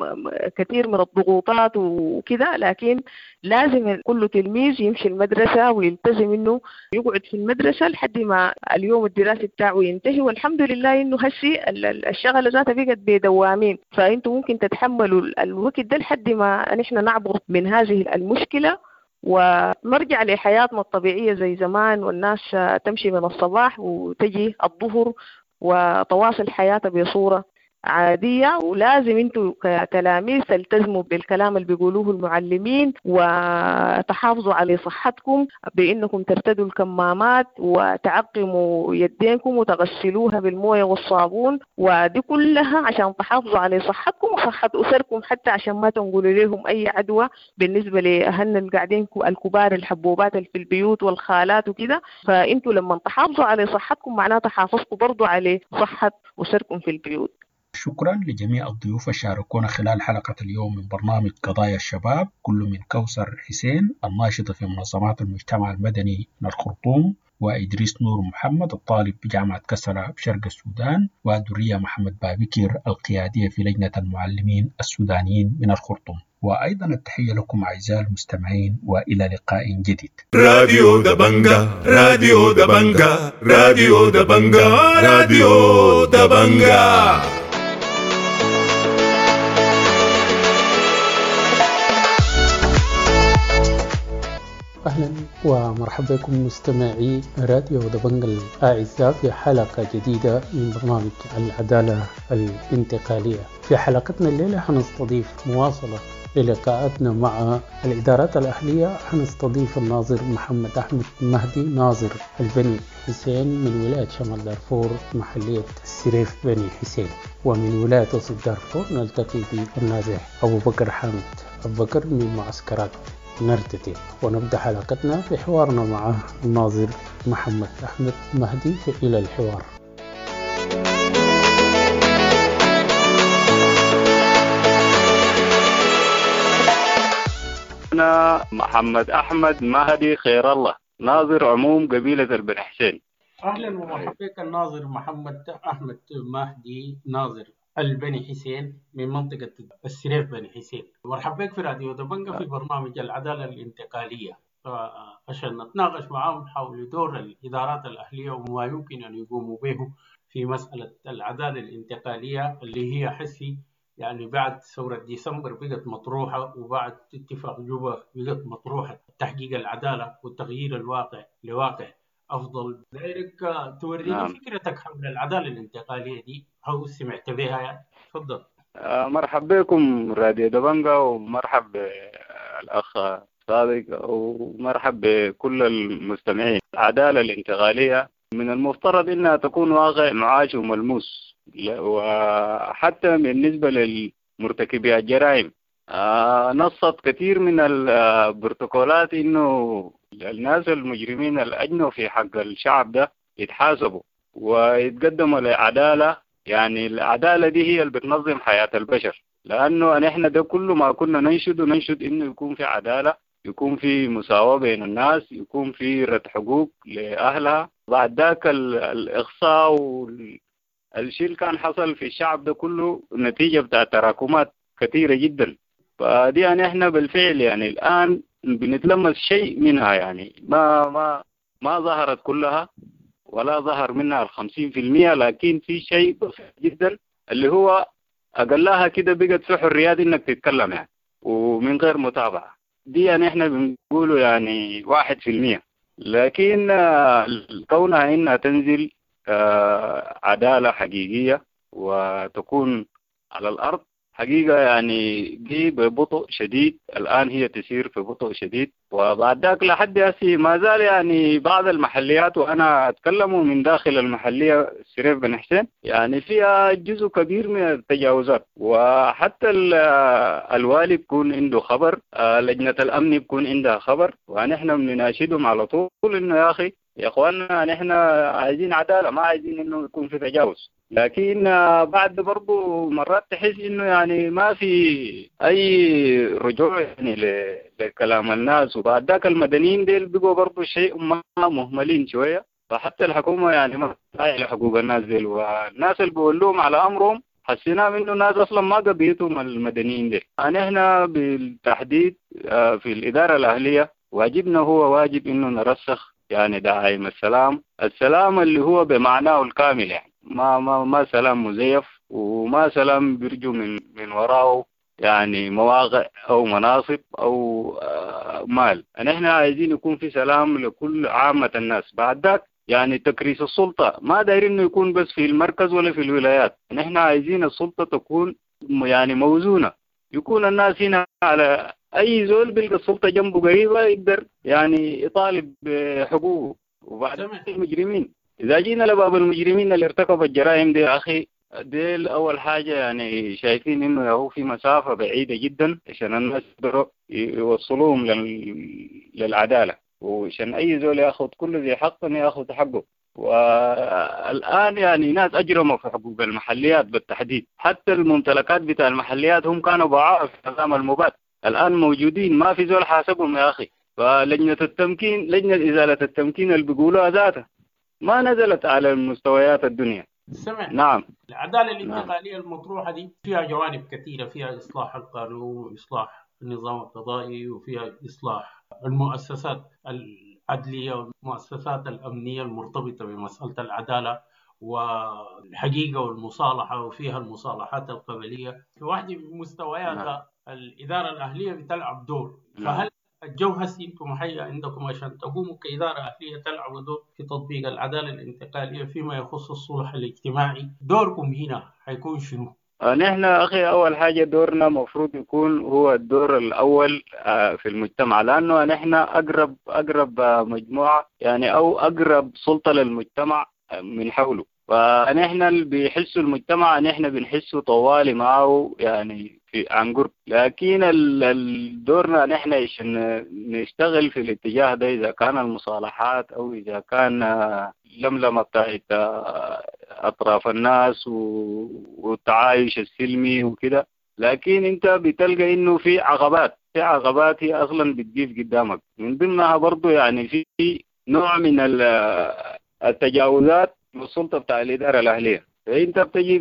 كثير من الضغوطات وكده، لكن لازم كل تلميذ يمشي المدرسة ويلتزم انه يقعد في المدرسة لحد ما اليوم الدراسي بتاعه ينتهي. والحمد لله انه هسي الشغلة ذاتها بقت بدوامين، فانتم ممكن تتحملوا الوقت ده لحد ما نحن نعبر من هذه المشكلة ونرجع لحياتنا الطبيعية زي زمان، والناس تمشي من الصباح وتجي الظهر وتواصل حياتها بصورة عادية. ولازم انتوا كتلاميذ تلتزموا بالكلام اللي بيقولوه المعلمين وتحافظوا على صحتكم بانكم ترتدوا الكمامات وتعقموا يدينكم وتغسلوها بالمويه والصابون، ودي كلها عشان تحافظوا على صحتكم وصحة اسركم، حتى عشان ما تنقلوا لهم اي عدوى بالنسبة لاهلنا اللي قاعدين الكبار الحبوبات اللي في البيوت والخالات وكده. فانتوا لما تحافظوا على صحتكم معناتها حافظتوا برضو على صحة اسركم في البيوت. شكرا لجميع الضيوف الشاركونا خلال حلقة اليوم من برنامج قضايا الشباب، كل من كوثر حسين الناشطة في منظمات المجتمع المدني من الخرطوم، وإدريس نور محمد الطالب بجامعة كسلا بشرق السودان، ودرية محمد بابكر القيادية في لجنة المعلمين السودانيين من الخرطوم. وأيضا التحية لكم أعزائي المستمعين، وإلى لقاء جديد. راديو دبنجا، راديو دبنجا، راديو دبنجا، راديو دبنجا. أهلا ومرحبا بكم مستمعي راديو دبنجا الأعزاء في حلقة جديدة من برنامج العدالة الانتقالية. في حلقتنا الليلة حنستضيف مواصلة للقاءاتنا مع الإدارات الأهلية. حنستضيف الناظر محمد أحمد مهدي، ناظر البني حسين من ولاية شمال دارفور محلية السريف بني حسين، ومن ولاية وسط دارفور نلتقي بالنازح أبو بكر حامد أبو بكر من معسكرات نرتتي. ونبدأ حلقتنا بحوارنا مع الناظر محمد أحمد مهدي في إلى الحوار. أنا محمد أحمد مهدي خير الله، ناظر عموم قبيلة البني حسين. أهلا ومرحبا بك الناظر محمد أحمد مهدي، ناظر البني حسين من منطقة السريف بني حسين. مرحبا بك في راديو دبنجا في برنامج العدالة الانتقالية، عشان نتناقش معهم حول دور الإدارات الأهلية وما يمكن أن يقوموا به في مسألة العدالة الانتقالية اللي هي حسي يعني بعد ثورة ديسمبر بقت مطروحة، وبعد اتفاق جوبا بقت مطروحة، تحقيق العدالة وتغيير الواقع لواقع أفضل. دايرك توريني نعم. فكرتك حول العدالة الانتقالية دي أو سمعت بها يعني. تفضل. مرحبا بكم راديو دبنجا، ومرحب بالأخ صادق، ومرحب بكل المستمعين. العدالة الانتقالية من المفترض أنها تكون واقع معاش وملموس، وحتى بالنسبة للمرتكبي الجرائم نصت كثير من البروتوكولات إنه الناس المجرمين الأجنوا في حق الشعب ده يتحاسبوا ويتقدموا لعدالة. يعني العدالة دي هي اللي بتنظم حياة البشر، لأنه نحن ده كله ما كنا ننشد وننشد إنه يكون في عدالة، يكون في مساواة بين الناس، يكون في رد حقوق لأهلها. بعد ذاك الإقصاء والشيء اللي كان حصل في الشعب ده كله نتيجة بتاع تراكمات كثيرة جدا. فدي يعني احنا بالفعل يعني الآن بنتلمس شيء منها، يعني ما ما ما ظهرت كلها ولا ظهر منها الخمسين في المية، لكن في شيء بسيط جدا اللي هو أقلها كده بقت في حريات إنك تتكلم يعني ومن غير متابعة. دي يعني احنا بنقوله يعني واحد في المية، لكن كونها إنها تنزل عدالة حقيقية وتكون على الأرض حقيقة يعني دي ببطء شديد. الآن هي تسير في بطء شديد، وبعد ذاك لحد هسي ما زال يعني بعض المحليات، وأنا أتكلم من داخل المحلية السريف بن حسين، يعني فيها جزء كبير من التجاوزات، وحتى الوالي بيكون عنده خبر، لجنة الأمن بيكون عندها خبر، ونحن بنناشدهم على طول إنه يا أخي يا إخواننا نحن عايزين عدالة، ما عايزين إنه يكون في تجاوز. لكن بعد برضو مرات تحس إنه يعني ما في أي رجوع يعني لكلام الناس، وبعد ذاك المدنيين ديل بقوا برضو شيء ما مهملين شوية، فحتى الحكومة يعني ما تراعي لحقوق الناس ديل، والناس اللي بيقولوهم على أمرهم حسينا إنه الناس أصلا ما قضيتهم المدنيين ديل. نحن بالتحديد في الإدارة الأهلية واجبنا هو واجب إنه نرسخ يعني دعائم السلام، السلام اللي هو بمعناه الكامل، يعني ما ما ما سلام مزيف، وما سلام بيرجو من من وراه يعني مواقع او مناصب او مال. نحن عايزين يكون في سلام لكل عامة الناس. بعد ذاك يعني تكريس السلطة ما دايرين انه يكون بس في المركز ولا في الولايات، نحن عايزين السلطة تكون يعني موزونة، يكون الناس هنا على اي زول بيلقى السلطة جنبه قريبة يقدر يعني يطالب بحقوقه. وبعد المجرمين، إذا جينا لباب المجرمين اللي ارتكبوا الجرائم دي يا أخي، ديل أول حاجة يعني شايفين إنه هو في مسافة بعيدة جدا عشان الناس يقدروا يوصلوهم للعدالة، وعشان أي زول ياخذ كل ذي حق ياخذ حقه. والآن يعني ناس أجرموا في حقوق المحليات بالتحديد، حتى الممتلكات بتاع المحليات هم كانوا باعوها في نظام المباد، الآن موجودين ما في زول حاسبهم يا أخي. فلجنة التمكين، لجنة إزالة التمكين اللي بيقولوها ذاتها ما نزلت على المستويات الدنيا. سمع. نعم. العدالة الانتقالية نعم. المطروحة دي فيها جوانب كثيرة، فيها إصلاح القانون وإصلاح النظام القضائي، وفيها إصلاح المؤسسات العدلية والمؤسسات الأمنية المرتبطة بمسألة العدالة والحقيقة والمصالحة، وفيها المصالحات القبلية. في واحدة من مستوياتها نعم. الإدارة الأهلية بتلعب دور. نعم. فهل الجو هسي انتم حقيقة عندكم عشان تقوموا كإدارة أهلية تلعبوا دور في تطبيق العدالة الانتقالية فيما يخص الصلح الاجتماعي، دوركم هنا حيكون شنو؟ نحن أخي أول حاجة دورنا مفروض يكون هو الدور الأول في المجتمع، لأنه نحن أقرب أقرب مجموعة يعني أو أقرب سلطة للمجتمع من حوله، فنحن اللي بيحسوا المجتمع نحن بنحسه طوالي معه يعني في عن قرب. لكن دورنا نحن عشان نشتغل في الاتجاه ده، إذا كان المصالحات أو إذا كان لملمة بتاعت أطراف الناس والتعايش السلمي وكده، لكن أنت بتلقى إنه في عقبات، في عقبات هي أصلا بتجيب قدامك، من ضمنها برضو يعني في نوع من التجاوزات والسلطة بتاع الإدارة الأهلية. فأنت بتجي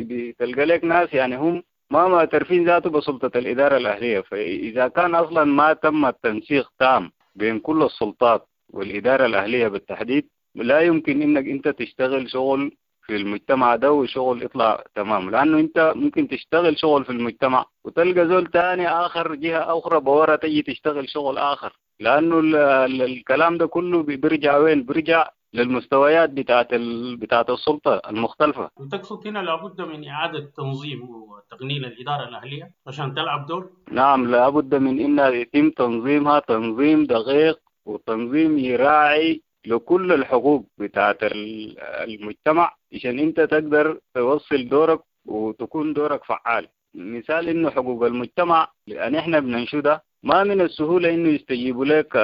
بتلقى لك ناس يعني هم ما معترفين ذاته بسلطة الإدارة الأهلية. فإذا كان أصلا ما تم التنسيق تام بين كل السلطات والإدارة الأهلية بالتحديد، لا يمكن إنك أنت تشتغل شغل في المجتمع ده وشغل يطلع تمام، لأنه أنت ممكن تشتغل شغل في المجتمع وتلقى زول تاني آخر جهة أخرى بورا تيجي تشتغل شغل آخر، لأنه الكلام ده كله بيرجع وين؟ بيرجع للمستويات بتاعت ال... بتاعت السلطة المختلفة. وتقصد هنا لابد من إعادة تنظيم وتقنين الإدارة الأهلية عشان تلعب دور؟ نعم، لابد من إنها يتم تنظيمها تنظيم دقيق وتنظيم يراعي لكل الحقوق بتاعت المجتمع عشان أنت تقدر توصل دورك وتكون دورك فعال. مثال إنه حقوق المجتمع لأن إحنا بننشدها ما من السهولة إنه يستجيبوا لك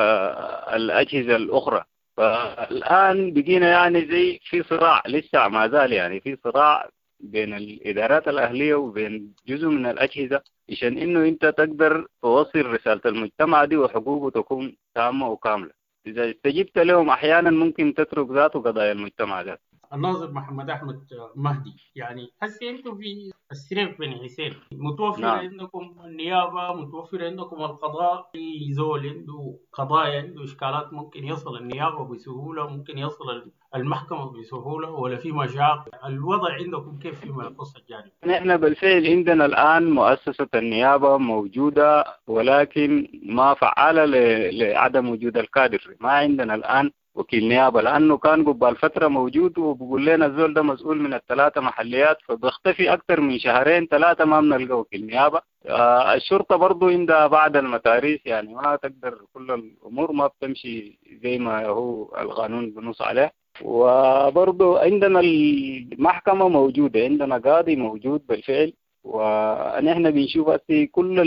الأجهزة الأخرى. فالآن بقينا يعني زي في صراع لسه ما زال، يعني في صراع بين الإدارات الأهلية وبين جزء من الأجهزة عشان إنه أنت تقدر توصل رسالة المجتمع دي وحقوقه تكون تامة وكاملة. إذا استجبت لهم أحيانا ممكن تترك ذاته قضايا المجتمع ذاته. الناظر محمد أحمد مهدي، يعني هسه أنتم في السريف بن حسين متوفر نعم. عندكم النيابة، متوفر عندكم القضاء، أي زول عنده قضايا عنده إشكالات ممكن يصل النيابة بسهولة، ممكن يصل المحكمة بسهولة، ولا في مشاق؟ الوضع عندكم كيف فيما يخص الجانب؟ نحن بالفعل عندنا الآن مؤسسة النيابة موجودة، ولكن ما فعالة لعدم وجود الكادر. ما عندنا الآن وكيل نيابة، لأنه كان قبل فترة موجود وبقول لنا الزول ده مسؤول من الثلاثة محليات، فبيختفي أكثر من شهرين ثلاثة ما بنلقى وكيل نيابة. آه الشرطة برضو عندها بعض المتاريس، يعني ما تقدر كل الأمور ما بتمشي زي ما هو القانون بنص عليه. وبرضو عندنا المحكمة موجودة، عندنا قاضي موجود بالفعل، ونحن بنشوف في كل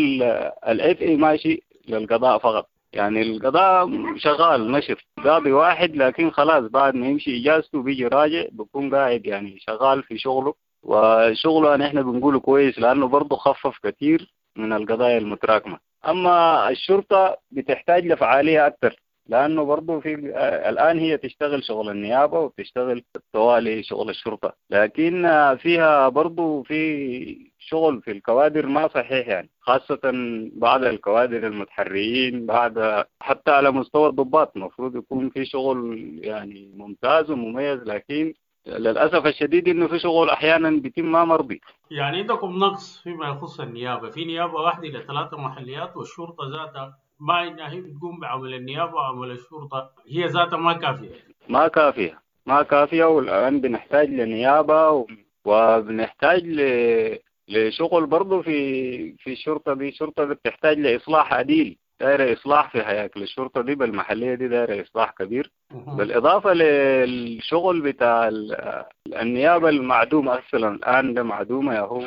العبء ماشي للقضاء فقط. يعني القضاء شغال نشط، قاضي واحد لكن خلاص بعد ما يمشي إجازته بيجي راجع بيكون قاعد يعني شغال في شغله، وشغله نحن بنقوله كويس لأنه برضه خفف كثير من القضايا المتراكمة. أما الشرطة بتحتاج لفعالية أكثر، لأنه برضه في الآن هي تشتغل شغل النيابة وبتشتغل طوالي شغل الشرطة، لكن فيها برضه في شغل في الكوادر ما صحيح، يعني خاصة بعض الكوادر المتحريين، بعد حتى على مستوى الضباط المفروض يكون في شغل يعني ممتاز ومميز، لكن للأسف الشديد إنه في شغل أحيانا بيتم ما مرضي. يعني عندكم نقص فيما يخص النيابة، في نيابة واحدة لثلاثة محليات، والشرطة ذاتها ما إنها هي بتقوم بعمل النيابة وعمل الشرطة هي ذاتها ما كافية. ما كافية ما كافية والآن بنحتاج لنيابة و... وبنحتاج ل... لشغل برضو في في الشرطة دي. الشرطة دي بتحتاج لإصلاح عديل، دايرة إصلاح في هياكل الشرطة دي بالمحلية دي، دايرة إصلاح كبير، بالإضافة للشغل بتاع النيابة المعدومة أصلا الآن، ده معدومة يا هو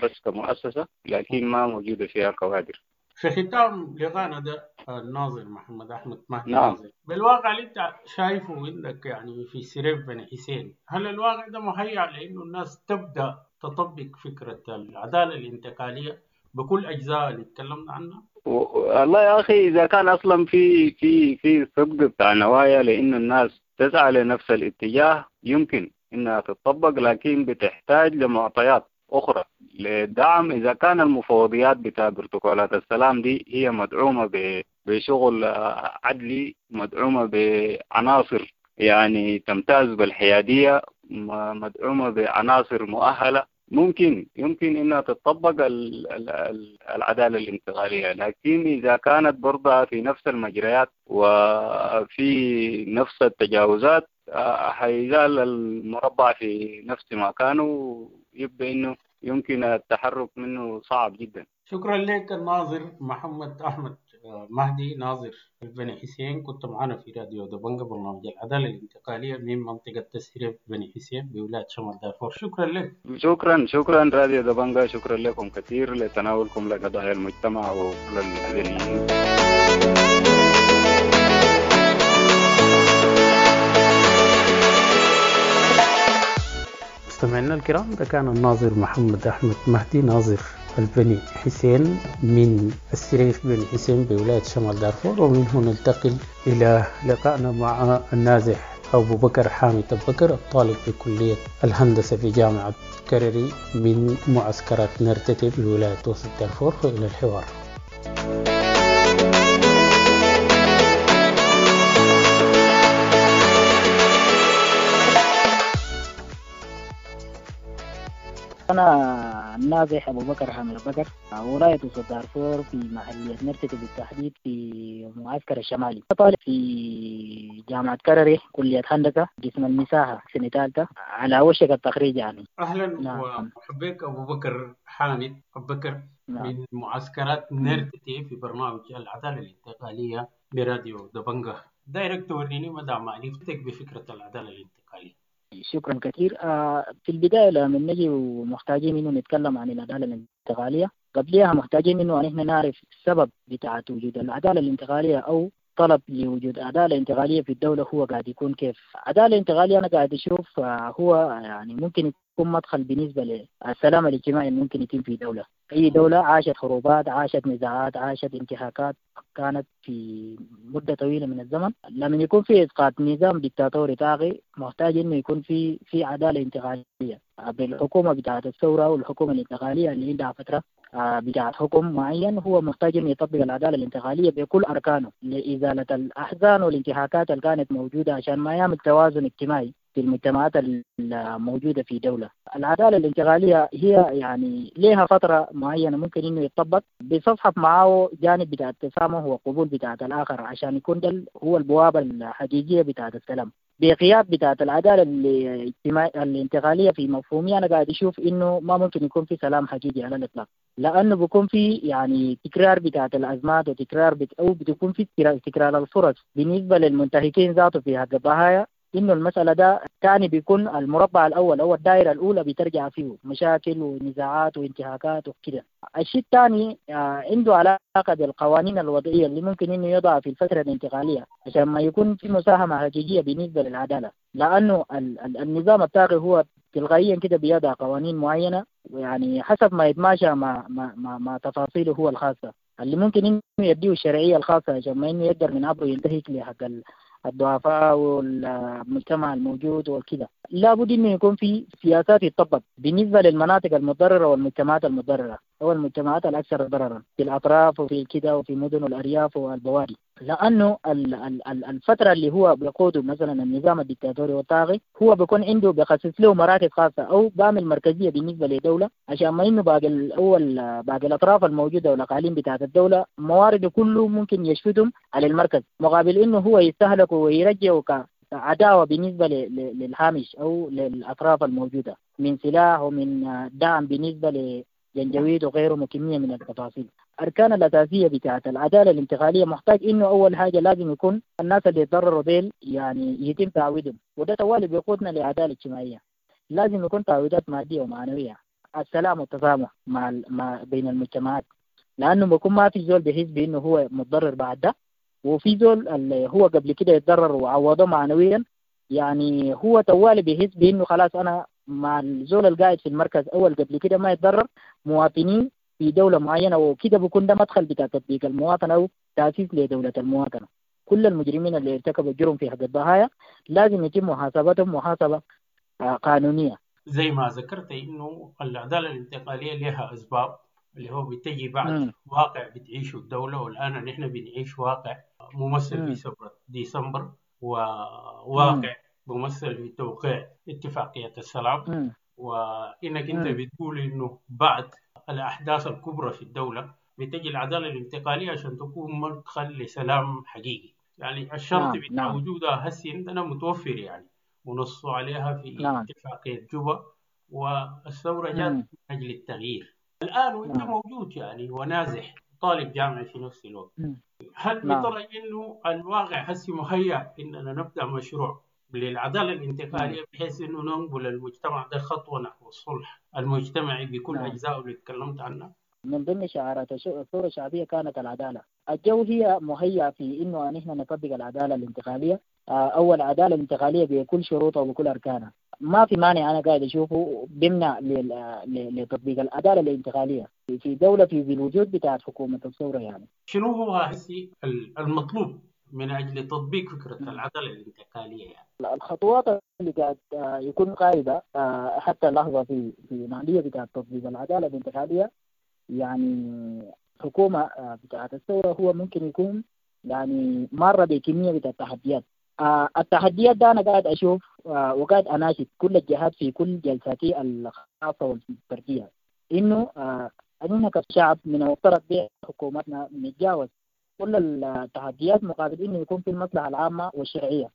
بس كمؤسسة لكن ما موجودة فيها كوادر. في ختام لقاءنا ده الناظر محمد أحمد مهدي، نعم. ناظر، بالواقع اللي انت شايفه عندك يعني في سريف بني حسين، هل الواقع ده مهيأ لأنه الناس تبدأ تطبق فكرة العدالة الانتقالية بكل أجزاء اللي تكلمنا عنها؟ والله يا أخي إذا كان أصلا في في في صدق بتاع نوايا لأن الناس تسعى لنفس الاتجاه يمكن إنها تطبق، لكن بتحتاج لمعطيات أخرى للدعم. إذا كان المفوضيات بتاع بروتوكولات السلام دي هي مدعومة بشغل عدلي، مدعومة بعناصر يعني تمتاز بالحيادية، مدعومة بعناصر مؤهلة، ممكن يمكن إنها تطبق العدالة الانتقالية. لكن إذا كانت برضها في نفس المجريات وفي نفس التجاوزات حيزال المربع في نفس مكانه، يبدأ إنه يمكن التحرك منه صعب جدا. شكرا لك الناظر محمد أحمد مهدي، ناظر بني حسين، كنت معنا في راديو دبنجة برنامج العدالة الانتقالية من منطقة تسريف بني حسين بولاية شمال دارفور. شكرا لك. شكرا شكرا راديو دبنجة، شكرا لكم كثير لتناولكم لقضايا المجتمع وكل المدنيين. مستمعينا الكرام، ده كان الناظر محمد أحمد مهدي، ناظر البني حسين من السريف بني حسين بولاية شمال دارفور. ومن هنا ننتقل إلى لقائنا مع النازح أبو بكر حامد أبو بكر، الطالب بكلية الهندسة في جامعة كرري من معسكرات نرتتي بولاية وسط دارفور. فإلى الحوار. أنا النازح أبو بكر حامد أبو بكر، ولاية وسط دارفور في محلية نرتتي بالتحديد في معسكر الشمالي. طالب في جامعة كرري كلية هندسة قسم المساحة سنة ثالثة على وشك التخريج يعني. أهلا. نعم. ومرحبا أبو بكر حامد أبو بكر. نعم. من معسكرات نرتتي في برنامج العدالة الانتقالية براديو دبنجة. دايرك توريني مدى معرفتك بفكرة العدالة الانتقالية. شكرا كثير. آه في البداية لما نجي ومحتاجين إنه نتكلم عن العدالة الانتقالية، قبلها محتاجين إنه نحن نعرف السبب بتاع وجود العدالة الانتقالية أو طلب لوجود عدالة انتقالية في الدولة هو قاعد يكون كيف. عدالة انتقالية أنا قاعد أشوف آه هو يعني ممكن يكون مدخل بالنسبة للسلام الاجتماعي اللي ممكن يتم في دولة. أي دولة عاشت حروبات، عاشت نزاعات، عاشت انتهاكات كانت في مدة طويلة من الزمن، لما يكون في إسقاط نظام ديكتاتوري طاغي محتاج إنه يكون في في عدالة انتقالية بالحكومة بتاعة الثورة والحكومة الانتقالية اللي عندها فترة بتاعة حكم معين، هو محتاج إنه يطبق العدالة الانتقالية بكل أركانه لإزالة الأحزان والانتهاكات اللي كانت موجودة عشان ما يعمل توازن اجتماعي في المجتمعات الموجودة في دولة. العدالة الانتقالية هي يعني لها فترة معينة ممكن إنه يتطبق بيستصحب معه جانب بتاع التسامح وقبول بتاع الآخر عشان يكون ده هو البوابة الحقيقية بتاع السلام. بغياب بتاعة العدالة الانتقالية في مفهومي أنا قاعد أشوف إنه ما ممكن يكون في سلام حقيقي على الإطلاق، لأنه بيكون في يعني تكرار بتاعة الأزمات وتكرار بت أو بتكون في تكرار الفرص بالنسبة للمنتهكين ذاته في حق الضحايا. إنه المسألة ده تاني بيكون المربع الأول أو الدائرة الأولى بترجع فيه مشاكل ونزاعات وانتهاكات وكده. الشيء الثاني عنده علاقة بالقوانين الوضعية اللي ممكن إنه يضع في الفترة الانتقالية عشان ما يكون في مساهمة حقيقية بالنسبة للعدالة، لأنه النظام الطاغي هو تلقائيا كده بيضع قوانين معينة يعني حسب ما يتماشى مع مع مع, مع تفاصيله هو الخاصة اللي ممكن إنه يديه الشرعية الخاصة عشان ما إنه يقدر من عبره ينتهك لحق الضعفاء والمجتمع الموجود وكذا. لابد إنه يكون في سياسات يتطبق بالنسبة للمناطق المتضررة والمجتمعات المتضررة أو المجتمعات الأكثر ضررا في الأطراف وفي كده وفي مدن الأرياف والبوادي، لأنه الفترة اللي هو بيقوده مثلا النظام الدكتاتوري والطاغي هو بيكون عنده بيخصص له مراكز خاصة أو بعمل مركزية بالنسبة لدولة عشان ما إنه باقي الأول باقي الأطراف الموجودة والأقاليم بتاعة الدولة موارده كله ممكن يشفتهم على المركز، مقابل إنه هو يستهلك ويرجع عداوة بالنسبة للهامش أو للأطراف الموجودة من سلاح ومن دعم بالنسبة لجنجويد وغيره وكمية من التفاصيل. أركان الأساسية بتاعة العدالة الانتقالية محتاج إنه أول حاجة لازم يكون الناس اللي يتضرروا ديل يعني يتم تعويضهم، وده توالي بيقودنا لعدالة اجتماعية. لازم يكون تعويضات مادية ومعنوية، السلام والتسامح مع مع بين المجتمعات، لأنه بيكون ما في زول بيحس بإنه هو متضرر بعد ده، وفي زول اللي هو قبل كده يتضرر وعوضه معنويا، يعني هو توالي بيحس بإنه خلاص أنا مع الزول القاعد في المركز أول قبل كده ما يتضرر مواطنين في دولة معينة، وكده بيكون ده مدخل بتاع تطبيق المواطنة أو تأسيس لدولة المواطنة. كل المجرمين اللي ارتكبوا الجرم في حق الضحايا لازم يتم محاسبتهم محاسبة قانونية. زي ما ذكرت إنه العدالة الانتقالية لها أسباب اللي هو بتجي بعد م. واقع بتعيشه الدولة، والآن نحن بنعيش واقع ممثل في ثورة ديسمبر وواقع ممثل في توقيع اتفاقية السلام م. وإنك أنت بتقول إنه بعد الأحداث الكبرى في الدولة بتجي العدالة الانتقالية عشان تكون مدخل لسلام حقيقي. يعني الشرط نعم. بتاع نعم. وجودها هسي عندنا متوفر يعني ونصوا عليها في نعم. اتفاقية جوبا، والثورة جات من أجل التغيير. الآن وأنت نعم. موجود يعني ونازح طالب جامعي في نفس الوقت، هل بترى إنه الواقع هسي مهيأ إننا نبدأ مشروع للعدالة الانتقالية بحيث إنه ننقل المجتمع ده خطوة نحو الصلح المجتمعي بكل نعم. أجزائه اللي تكلمت عنها؟ من ضمن شعارات الثورة الشعبية كانت العدالة. الجو هي مهيأ في إنه نحن نطبق العدالة الانتقالية، أول عدالة الانتقالية بكل شروطها وبكل أركانها. ما في مانع أنا قاعد أشوفه بمنع لتطبيق العدالة الانتقالية في دولة في الوجود بتاعت حكومة الثورة. يعني شنو هو هسي المطلوب من أجل تطبيق فكرة العدالة الانتقالية؟ يعني الخطوات اللي قاعد يكون قاعدة حتى اللحظة في في عملية بتاعت تطبيق العدالة الانتقالية، يعني حكومة بتاعت الثورة هو ممكن يكون يعني مرة بكمية بتاعت التحديات. التحديات ده أنا قاعد أشوف وقاعد أناشد كل الجهات في كل جلساتي الخاصة والفردية إنه أننا كشعب من المفترض بحكومتنا نتجاوز كل التحديات مقابل إنه يكون في المصلحة العامة والشرعية.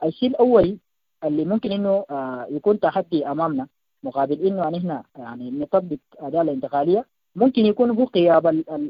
الشيء الأول اللي ممكن إنه يكون تحدي أمامنا مقابل إنه نحن يعني نطبق عدالة انتقالية ممكن يكون هو غياب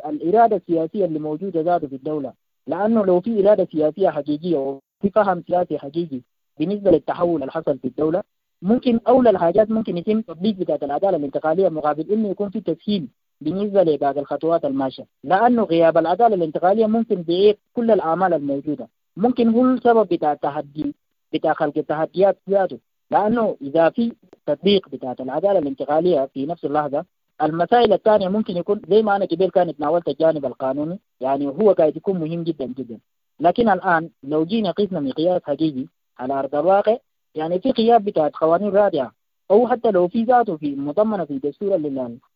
الإرادة السياسية اللي موجودة ذاته في الدولة، لأنه لو في إرادة سياسية حقيقية وفي فهم سياسي حقيقي بالنسبة للتحول اللي حصل في الدولة، ممكن أولى الحاجات ممكن يتم تطبيق بتاعة العدالة الانتقالية مقابل إنه يكون في تسهيل بالنسبة لباقي الخطوات الماشية، لأنه غياب العدالة الانتقالية ممكن بيعيق كل الأعمال الموجودة، ممكن هو السبب بتاع التحدي بتاع خلق التحديات ذاته، لأنه إذا في تطبيق بتاعة العدالة الانتقالية في نفس اللحظة المسائل الثانية ممكن يكون زي ما أنا قبل كانت ناولت الجانب القانوني، يعني هو قاعد يكون مهم جدا جدا، لكن الآن لو جينا قسنا مقياس حقيقي على أرض الواقع، يعني في غياب بتاعت قوانين رادعة أو حتى لو في ذاته في مضمنة في دستور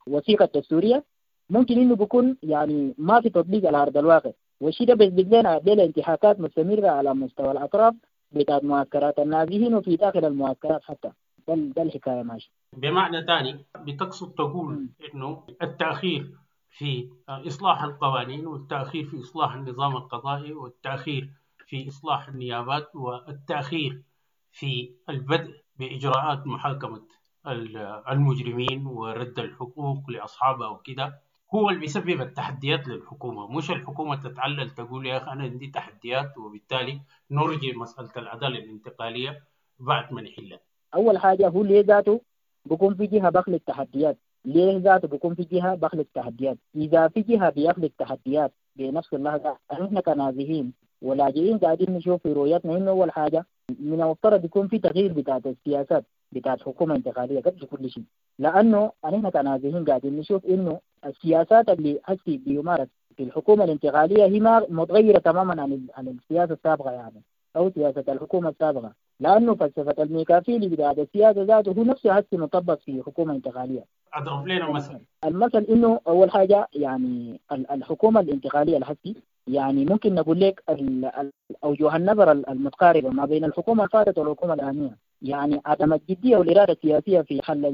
الوثيقة الدستورية ممكن إنه بيكون يعني ما في تطبيق على أرض الواقع، والشيء ده بيثبت لنا بلا انتهاكات مستمرة على مستوى الأطراف بتاعت معسكرات النازحين وفي داخل المعسكرات حتى. ده, ده الحكاية ماشي. بمعنى ثاني بتقصد تقول إنه التأخير في إصلاح القوانين والتأخير في إصلاح النظام القضائي والتأخير في إصلاح النيابات والتأخير في البدء بإجراءات محاكمة المجرمين ورد الحقوق لأصحابها وكده هو اللي بيسبب التحديات للحكومة، مش الحكومة تتعلل تقول يا أخي أنا عندي تحديات وبالتالي نرجي مسألة العدالة الانتقالية بعد ما نحلها. أول حاجة هو ليه ذاته بكون في جهة بخلق تحديات؟ ليه ذاته بكون في جهة بخلق تحديات؟ إذا في جهة بيخلق تحديات بنفس اللحظة نحن كنازحين ولاجئين قاعدين نشوف في رؤيتنا إنه أول حاجة من المفترض يكون في تغيير بتاعت السياسات بتاعت حكومة انتقالية قبل كل شيء، لأنه نحن كنازحين قاعدين نشوف إنه السياسات اللي هسي بيمارس في الحكومة الانتقالية هي ما متغيرة تماما عن عن السياسة السابقة يعني أو سياسة الحكومة السابقة، لأنه فلسفة الميكافيلي بتاعت السياسة ذاته هو نفسه هسي مطبق في حكومة انتقالية. أضرب لنا مثل. المثل إنه أول حاجة يعني الحكومة الانتقالية الهسي يعني ممكن نقول لك أوجه النظر المتقاربة ما بين الحكومة الفاتت والحكومة الآنية، يعني عدم الجدية والإرادة السياسية في حل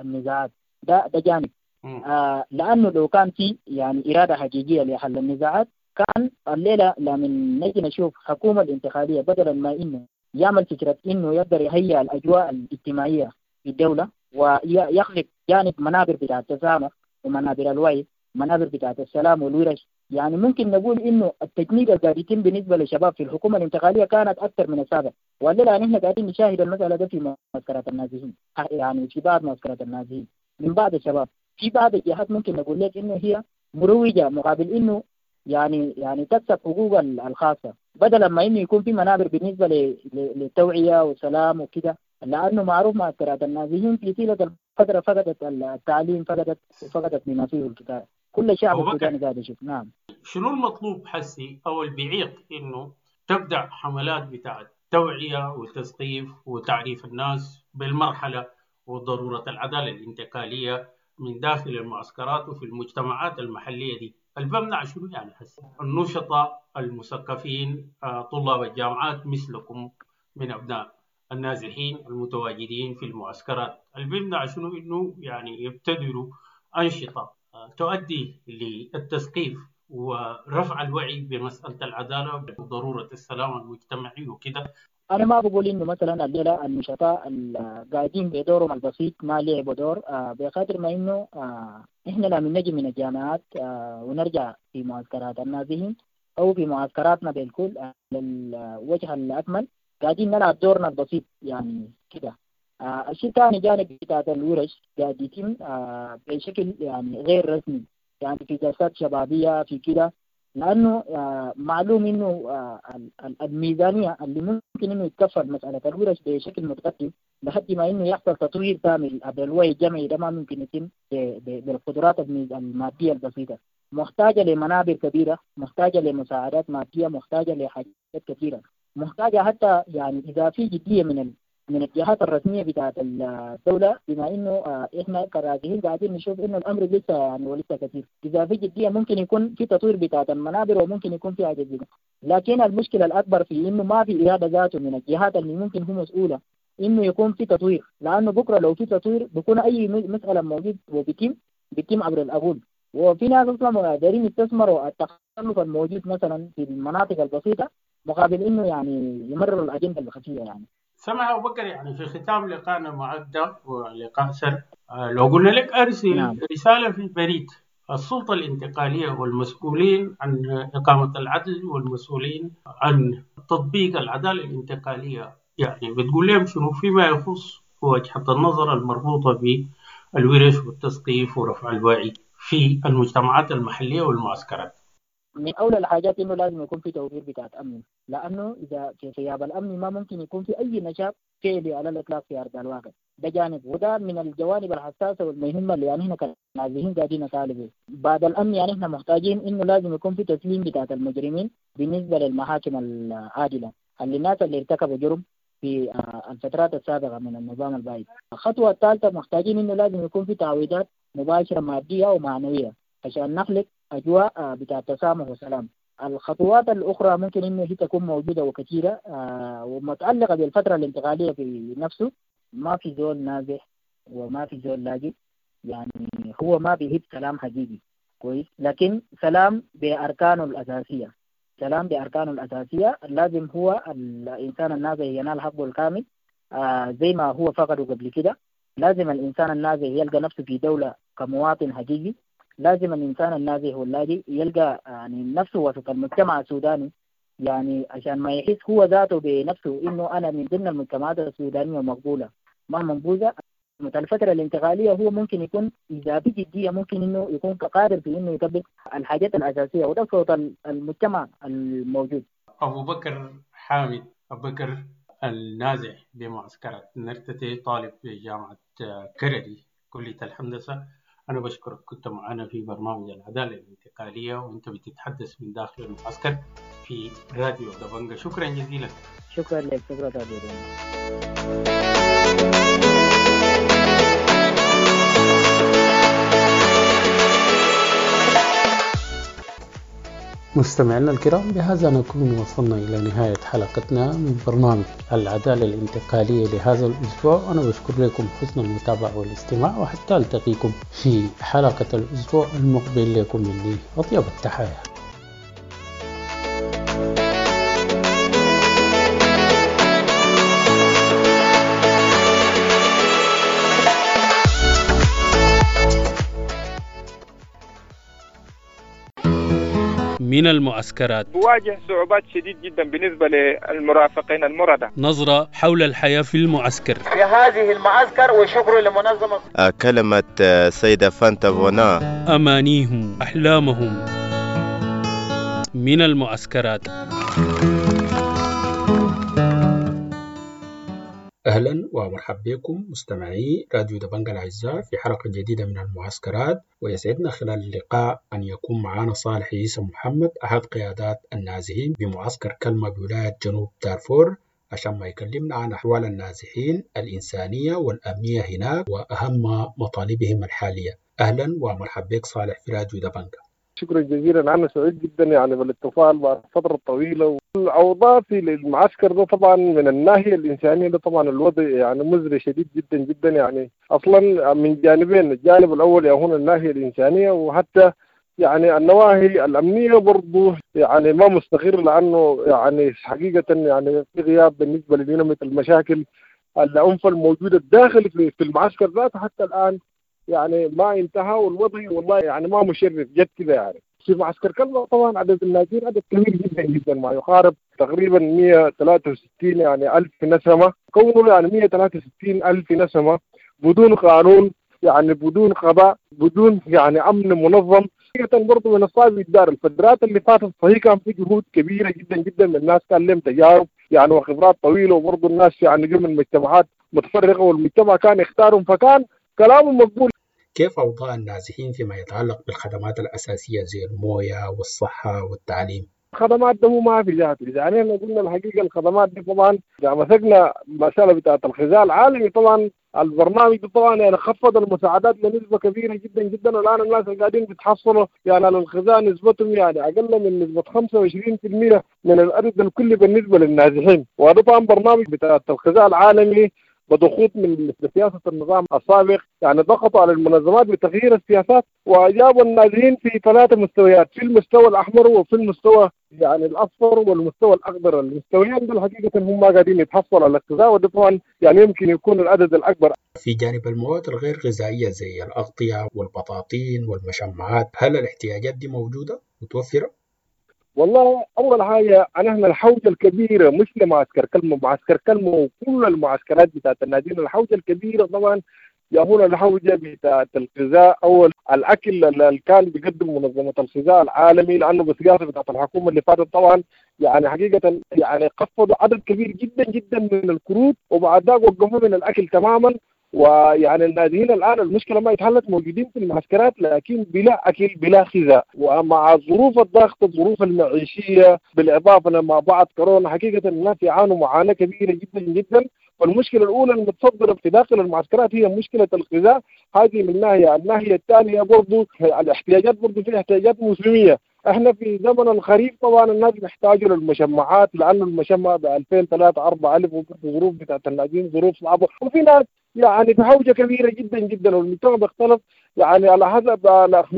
النزاعات، ده ده جانب. آه لأنه لو كان في يعني إرادة حقيقية لحل النزاعات كان الليلة لما نجي نشوف حكومة الانتقالية بدلا ما إنه يعمل فكرة إنه يقدر يهيئ الأجواء الاجتماعية في الدولة ويخلق جانب منابر بتاع التسامح ومنابر الوعي، منابر بتاعت السلام والورش. يعني ممكن نقول إنه التجنيد اللي قاعد يتم بالنسبة للشباب في الحكومة الانتقالية كانت أكثر من السابق، والليلة نحن قاعدين نشاهد المسألة ده في معسكرات النازحين، يعني في بعض معسكرات النازحين من بعض الشباب في بعض الجهات ممكن نقول لك إنه هي مروجة مقابل إنه يعني يعني تكسب حقوقها الخاصة، بدلا ما إنه يكون في منابر بالنسبة للتوعية والسلام وكده، لأنه معروف معسكرات النازحين في طيلة الفترة فقدت التعليم، فقدت فقدت بما فيه الكفاية. كل شعب السوداني قاعد يشوف. نعم. شنو المطلوب حسي أو اللي بيعيق إنه تبدأ حملات بتاعت توعية وتثقيف وتعريف الناس بالمرحلة وضرورة العدالة الانتقالية من داخل المعسكرات وفي المجتمعات المحلية دي؟ اللي بمنع شنو يعني حسي؟ النشطاء المثقفين طلاب الجامعات مثلكم من أبناء النازحين المتواجدين في المعسكرات، اللي بيمنع شنو إنه يعني يبتدروا أنشطة تؤدي للتثقيف ورفع الوعي بمسألة العدالة وضرورة السلام المجتمعي وكده؟ أنا ما بقول إنه مثلا الليلة النشطاء القاعدين بدورهم البسيط ما لعبوا دور، بقدر ما إنه إحنا لما نجي من الجامعات ونرجع في معسكرات النازحين أو في معسكراتنا بالكل للوجه الأكمل قاعدين نلعب دورنا البسيط يعني كده. آه الشيء الثاني جانب بتاعت الورش قاعد يتم آه بشكل يعني غير رسمي، يعني في جلسات شبابية في كده، لأنه آه معلوم إنه آه الميزانية اللي ممكن إنه يتكفل مسألة الورش بشكل متقدم لحد ما إنه يحصل تطوير كامل عبر الوعي الجمعي ده ما ممكن يتم بالقدرات المادية البسيطة. محتاجة لمنابر كبيرة، محتاجة لمساعدات مادية، محتاجة لحاجات كثيرة، محتاجة حتى يعني إذا في جدية من ال من الجهات الرسمية بتاعت الدولة، بما إنه إحنا كراجعين قاعدين نشوف إنه الأمر لسه يعني ولسه كثير. إذا في جدية ممكن يكون في تطوير بتاعت المنابر وممكن يكون في حاجة جديدة، لكن المشكلة الأكبر في إنه ما في إرادة ذاته من الجهات اللي ممكن هو مسؤولة إنه يكون في تطوير، لأنه بكرة لو في تطوير بكون أي مسألة موجود وبيتم بيتم عبر الأقول، وفي ناس أصلا دارين يستثمروا التخلف الموجود مثلا في المناطق البسيطة مقابل إنه يعني يمرروا الأجندة الخفية يعني. سمع أبو بكر، يعني في ختام لقائنا معك ده ولقاء سر، لو قلنا لك أرسل نعم. رسالة في البريد السلطة الانتقالية والمسؤولين عن إقامة العدل والمسؤولين عن تطبيق العدالة الانتقالية، يعني بتقول لهم شنو فيما يخص وجهة النظر المربوطة بالورش والتثقيف ورفع الوعي في المجتمعات المحلية والمعسكرات؟ من أولى الحاجات إنه لازم يكون في توفير بتاعت أمن، لأنه إذا في غياب الأمن ما ممكن يكون في أي نشاط فعلي على الإطلاق في أرض الواقع. ده جانب، وده من الجوانب الحساسة والمهمة اللي يعني إحنا كنازحين قاعدين نطالب. بعد الأمن يعني إحنا محتاجين إنه لازم يكون في تسليم بتاعت المجرمين بالنسبة للمحاكم العادلة اللي الناس اللي ارتكبوا جرم في الفترات السابقة من النظام البائد. الخطوة الثالثة محتاجين إنه لازم يكون في تعويضات مباشرة مادية ومعنوية عشان نخلق أجواء بتاع تسامح وسلام. الخطوات الأخرى ممكن إنه هي تكون موجودة وكثيرة آه ومتعلقة بالفترة الانتقالية في نفسه. ما في زول نازح وما في زول لاجئ، يعني هو ما بيهب سلام حقيقي كويس، لكن سلام بأركانه الأساسية. سلام بأركانه الأساسية لازم هو الإنسان النازح ينال حقه الكامل آه زي ما هو فقده قبل كده. لازم الإنسان النازح يلقى نفسه في دولة كمواطن حقيقي. لازم الإنسان النازح واللاجئ يلقى يعني نفسه وسط المجتمع السوداني، يعني عشان ما يحس هو ذاته بنفسه إنه أنا من ضمن المجتمعات السودانية مقبولة ما منبوذة. الفترة الانتقالية هو ممكن يكون إذا بجدية ممكن إنه يكون قادر في إنه يطبق الحاجات الأساسية، وده صوت المجتمع الموجود. أبو بكر حامد، أبو بكر النازح بمعسكرات نرتتي، طالب في جامعة كردي كلية الهندسة، أنا بشكرك كنت معنا في برنامج العدالة الانتقالية وأنت بتتحدث من داخل المعسكر في راديو دبنجة. شكرا جزيلا. شكرا لك، شكرا راديو دبنجة. مستمعينا الكرام، بهذا نكون وصلنا إلى نهاية حلقتنا من برنامج العدالة الانتقالية لهذا الأسبوع. أنا بشكر لكم حسن المتابعة والاستماع، وحتى ألتقيكم في حلقة الأسبوع المقبل. لكم مني أطيب التحايا. من المعسكرات بواجه صعوبات شديد جدا بالنسبة للمرافقين المرضى. نظرة حول الحياة في المعسكر في هذه المعسكر، وشكر لمنظمة كلمة سيدة فانتا فونا. أمانيهم، أحلامهم من المعسكرات. أهلا ومرحبا بكم مستمعي راديو دبنجة الأعزاء في حلقة جديدة من المعسكرات، ويسعدنا خلال اللقاء أن يكون معنا صالح عيسى محمد أحد قيادات النازحين بمعسكر كلمة بولاية جنوب دارفور، عشان ما يكلمنا عن أحوال النازحين الإنسانية والأمنية هناك وأهم مطالبهم الحالية. أهلا ومرحبا بك صالح في راديو دبنجة. شكرا جزيلا، أنا سعيد جدا يعني بالاتصال بعد فترة طويلة. الأوضاع في المعسكر ده طبعا من الناحية الإنسانية ده طبعا الوضع يعني مزري شديد جدا جدا، يعني أصلا من جانبين، الجانب الأول يهون الناحية الإنسانية، وحتى يعني النواحي الأمنية برضو يعني ما مستقر، لأنه يعني حقيقة يعني في غياب بالنسبة لدينامية المشاكل العنف الموجودة الداخل في المعسكر ذاته حتى الآن يعني ما انتهى، والوضع والله يعني ما مشرف جد كده. يعني في معسكر كلمة طبعا عدد النازحين عدد كبير جدا جدا، ما يقارب تقريبا مئة وثلاثة وستين يعني ألف نسمة. كونه يعني مئة وثلاثة وستين ألف نسمة بدون قانون، يعني بدون قضاء، بدون يعني أمن منظم، حقيقة برضه من الصعب الدار. الفترات اللي فاتت صحيح كان في جهود كبيرة جدا جدا من الناس، كان لهم تجارب يعني وخبرات طويلة، وبرضه الناس يعني جو من مجتمعات متفرقة والمجتمع كان يختارهم، فكان كلامهم مقبول. كيف أوضاع النازحين فيما يتعلق بالخدمات الأساسية زي الموية والصحة والتعليم؟ الخدمات ده ما في ذاته، يعني احنا قلنا الحقيقة الخدمات دي طبعا إذا مسكنا مسألة بتاعة الغذاء العالمي، طبعا البرنامج ده طبعا يعني خفض المساعدات لنسبة كبيرة جدا جدا، والآن الناس اللي قاعدين بيتحصلوا يعني على الغذاء نسبتهم يعني أقل من نسبة خمسة وعشرين بالمئة من الأرض الكلي بالنسبة للنازحين. وهذا طبعا برنامج بتاع الغذاء العالمي بضغوط من سياسة النظام السابق، يعني ضغطوا على المنظمات بتغيير السياسات، وأجابوا النازحين في ثلاثة مستويات، في المستوى الأحمر وفي المستوى يعني الأصفر والمستوى الأخضر. المستويين دول حقيقة هم ما قاعدين يتحصلوا على الغذاء، وده طبعا يعني يمكن يكون العدد الأكبر. في جانب المواد الغير غذائية زي الأغطية والبطاطين والمشمعات، هل الاحتياجات دي موجودة متوفرة؟ والله أول حاجة نحن الحوجة الكبيرة مش لمعسكر كلمة، معسكر كلمة وكل المعسكرات بتاعت النازحين، الحوجة الكبيرة طبعا يهون الحوجة بتاعت الغذاء أو الأكل اللي كان بيقدم منظمة الغذاء العالمي، لأنه بالسياسة بتاعت الحكومة اللي فاتت طبعا يعني حقيقة يعني خفضوا عدد كبير جدا جدا من الكروت، وبعد ذاك وقفوا من الأكل تماما. ويعني النازحين الآن المشكلة ما اتحلت، موجودين في المعسكرات لكن بلا أكل بلا غذاء، ومع ظروف الضغط الظروف المعيشية بالإضافة لما بعد كورونا حقيقة الناس يعانوا معاناة كبيرة جدا جدا. والمشكلة الأولى المتصدرة في داخل المعسكرات هي مشكلة الغذاء، هذه من ناحية. الناحية الثانية برضو الاحتياجات، برضو في احتياجات موسمية، احنا في زمن الخريف طبعا الناس بيحتاجوا للمشمعات، لانه المشمع ب ألفين ثلاثة أربعة ألف، وظروف بتاعت اللاجئين ظروف صعبة، وفي ناس يعني في حوجه كبيرة جدا جدا، والمجتمع بيختلف يعني على حسب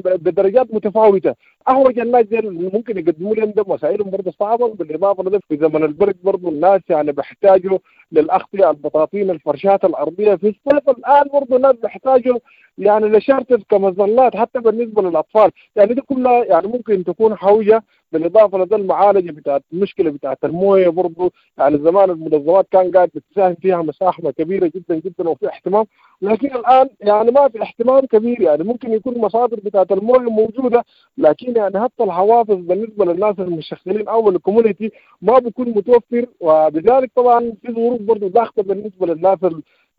بدرجات متفاوتة. احوج الناس دي ممكن يقدموا لهم ده مسائلهم برضه صعبة. بالاضافة لده في زمن البرد برضه الناس يعني بيحتاجوا للاغطيه، البطاطين، الفرشات الارضية. في الصيف الان برضه الناس بيحتاجوا يعني لشارتر كمظلات حتى بالنسبة للاطفال، يعني دي كلها يعني ممكن تكون حوجه. بالاضافة لده المعالجة بتاعت المشكلة بتاعت المويه برضه، يعني زمان المنظمات كان قاعد بتساهم فيها مساحة كبيرة جدا جدا وفي اهتمام، لكن الان يعني ما في اهتمام كبير. يعني ممكن يكون مصادر بتاعت المويه موجودة، لكن يعني حتى الحوافز بالنسبة للناس المشغلين او ال community ما بيكون متوفر، وبذلك طبعا في ظروف برضه ضاغطة بالنسبة للناس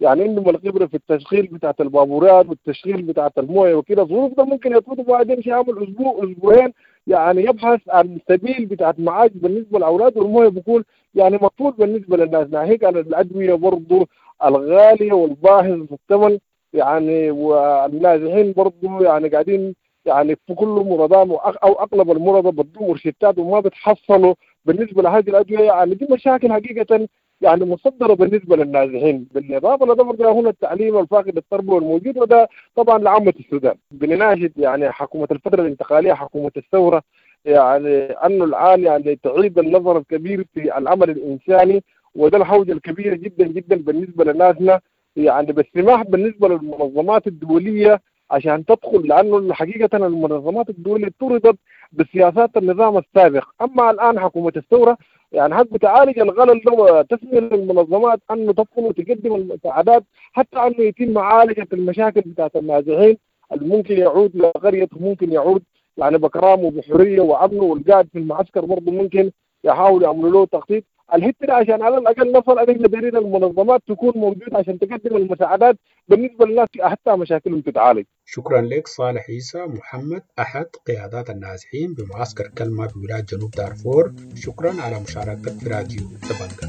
يعني عندهم الخبرة في التشغيل بتاعت البابورات والتشغيل بتاعت المويه وكده. الظروف ده ممكن يطلبوا بعدين يمشي يعمل اسبوع اسبوعين يعني يبحث عن سبيل بتاعت معاش بالنسبة للاولاد، والمويه بيكون يعني مقفول بالنسبة للناس. ناهيك عن الادوية برضه الغالية والباهظ الثمن يعني، والنازحين برضه يعني قاعدين يعني في كل مرضى او اغلب المرضى بدوا مرشدات وما بتحصلوا بالنسبة لهذه الادوية. يعني دي مشاكل حقيقة يعني مصدره بالنسبة للنازحين. بالاضافة لده برضه هنا التعليم الفاقد التربوي الموجود، وده طبعا لعامة السودان. بنناشد يعني حكومة الفترة الانتقالية، حكومة الثورة، يعني انه الان يعني تعيد النظر الكبير في العمل الانساني، وده الحوجه الكبيرة جدا جدا بالنسبة لناسنا، يعني بالسماح بالنسبة للمنظمات الدولية عشان تدخل، لانه حقيقة المنظمات الدولية طردت بسياسات النظام السابق. اما الان حكومة الثورة يعني حق تعالج الغلل ده وتسمي للمنظمات انه تدخل وتقدم المساعدات، حتى انه يتم معالجة المشاكل بتاعت النازحين اللي ممكن يعود لقريته، ممكن يعود يعني بكرامة وبحريه وامنه، والقاعد في المعسكر برضه ممكن يحاولوا يعملوا له تخطيط الحتة دي عشان على الاقل نصل ان احنا دايرين المنظمات تكون موجودة عشان تقدم المساعدات بالنسبة للناس حتى مشاكلهم تتعالج. شكرا لك صالح عيسى محمد، احد قيادات النازحين بمعسكر كلمة بولاية جنوب دارفور. شكرا على مشاركتك في راديو دبنجا.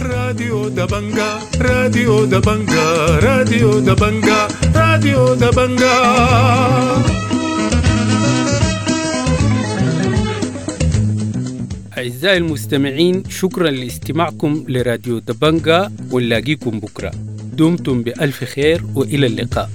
راديو دبنجا، راديو دبنجا، راديو دبنجا، راديو دبنجا. أعزائي المستمعين، شكرا لاستماعكم لراديو دبنجا، ونلاقيكم بكرة. دمتم بألف خير وإلى اللقاء.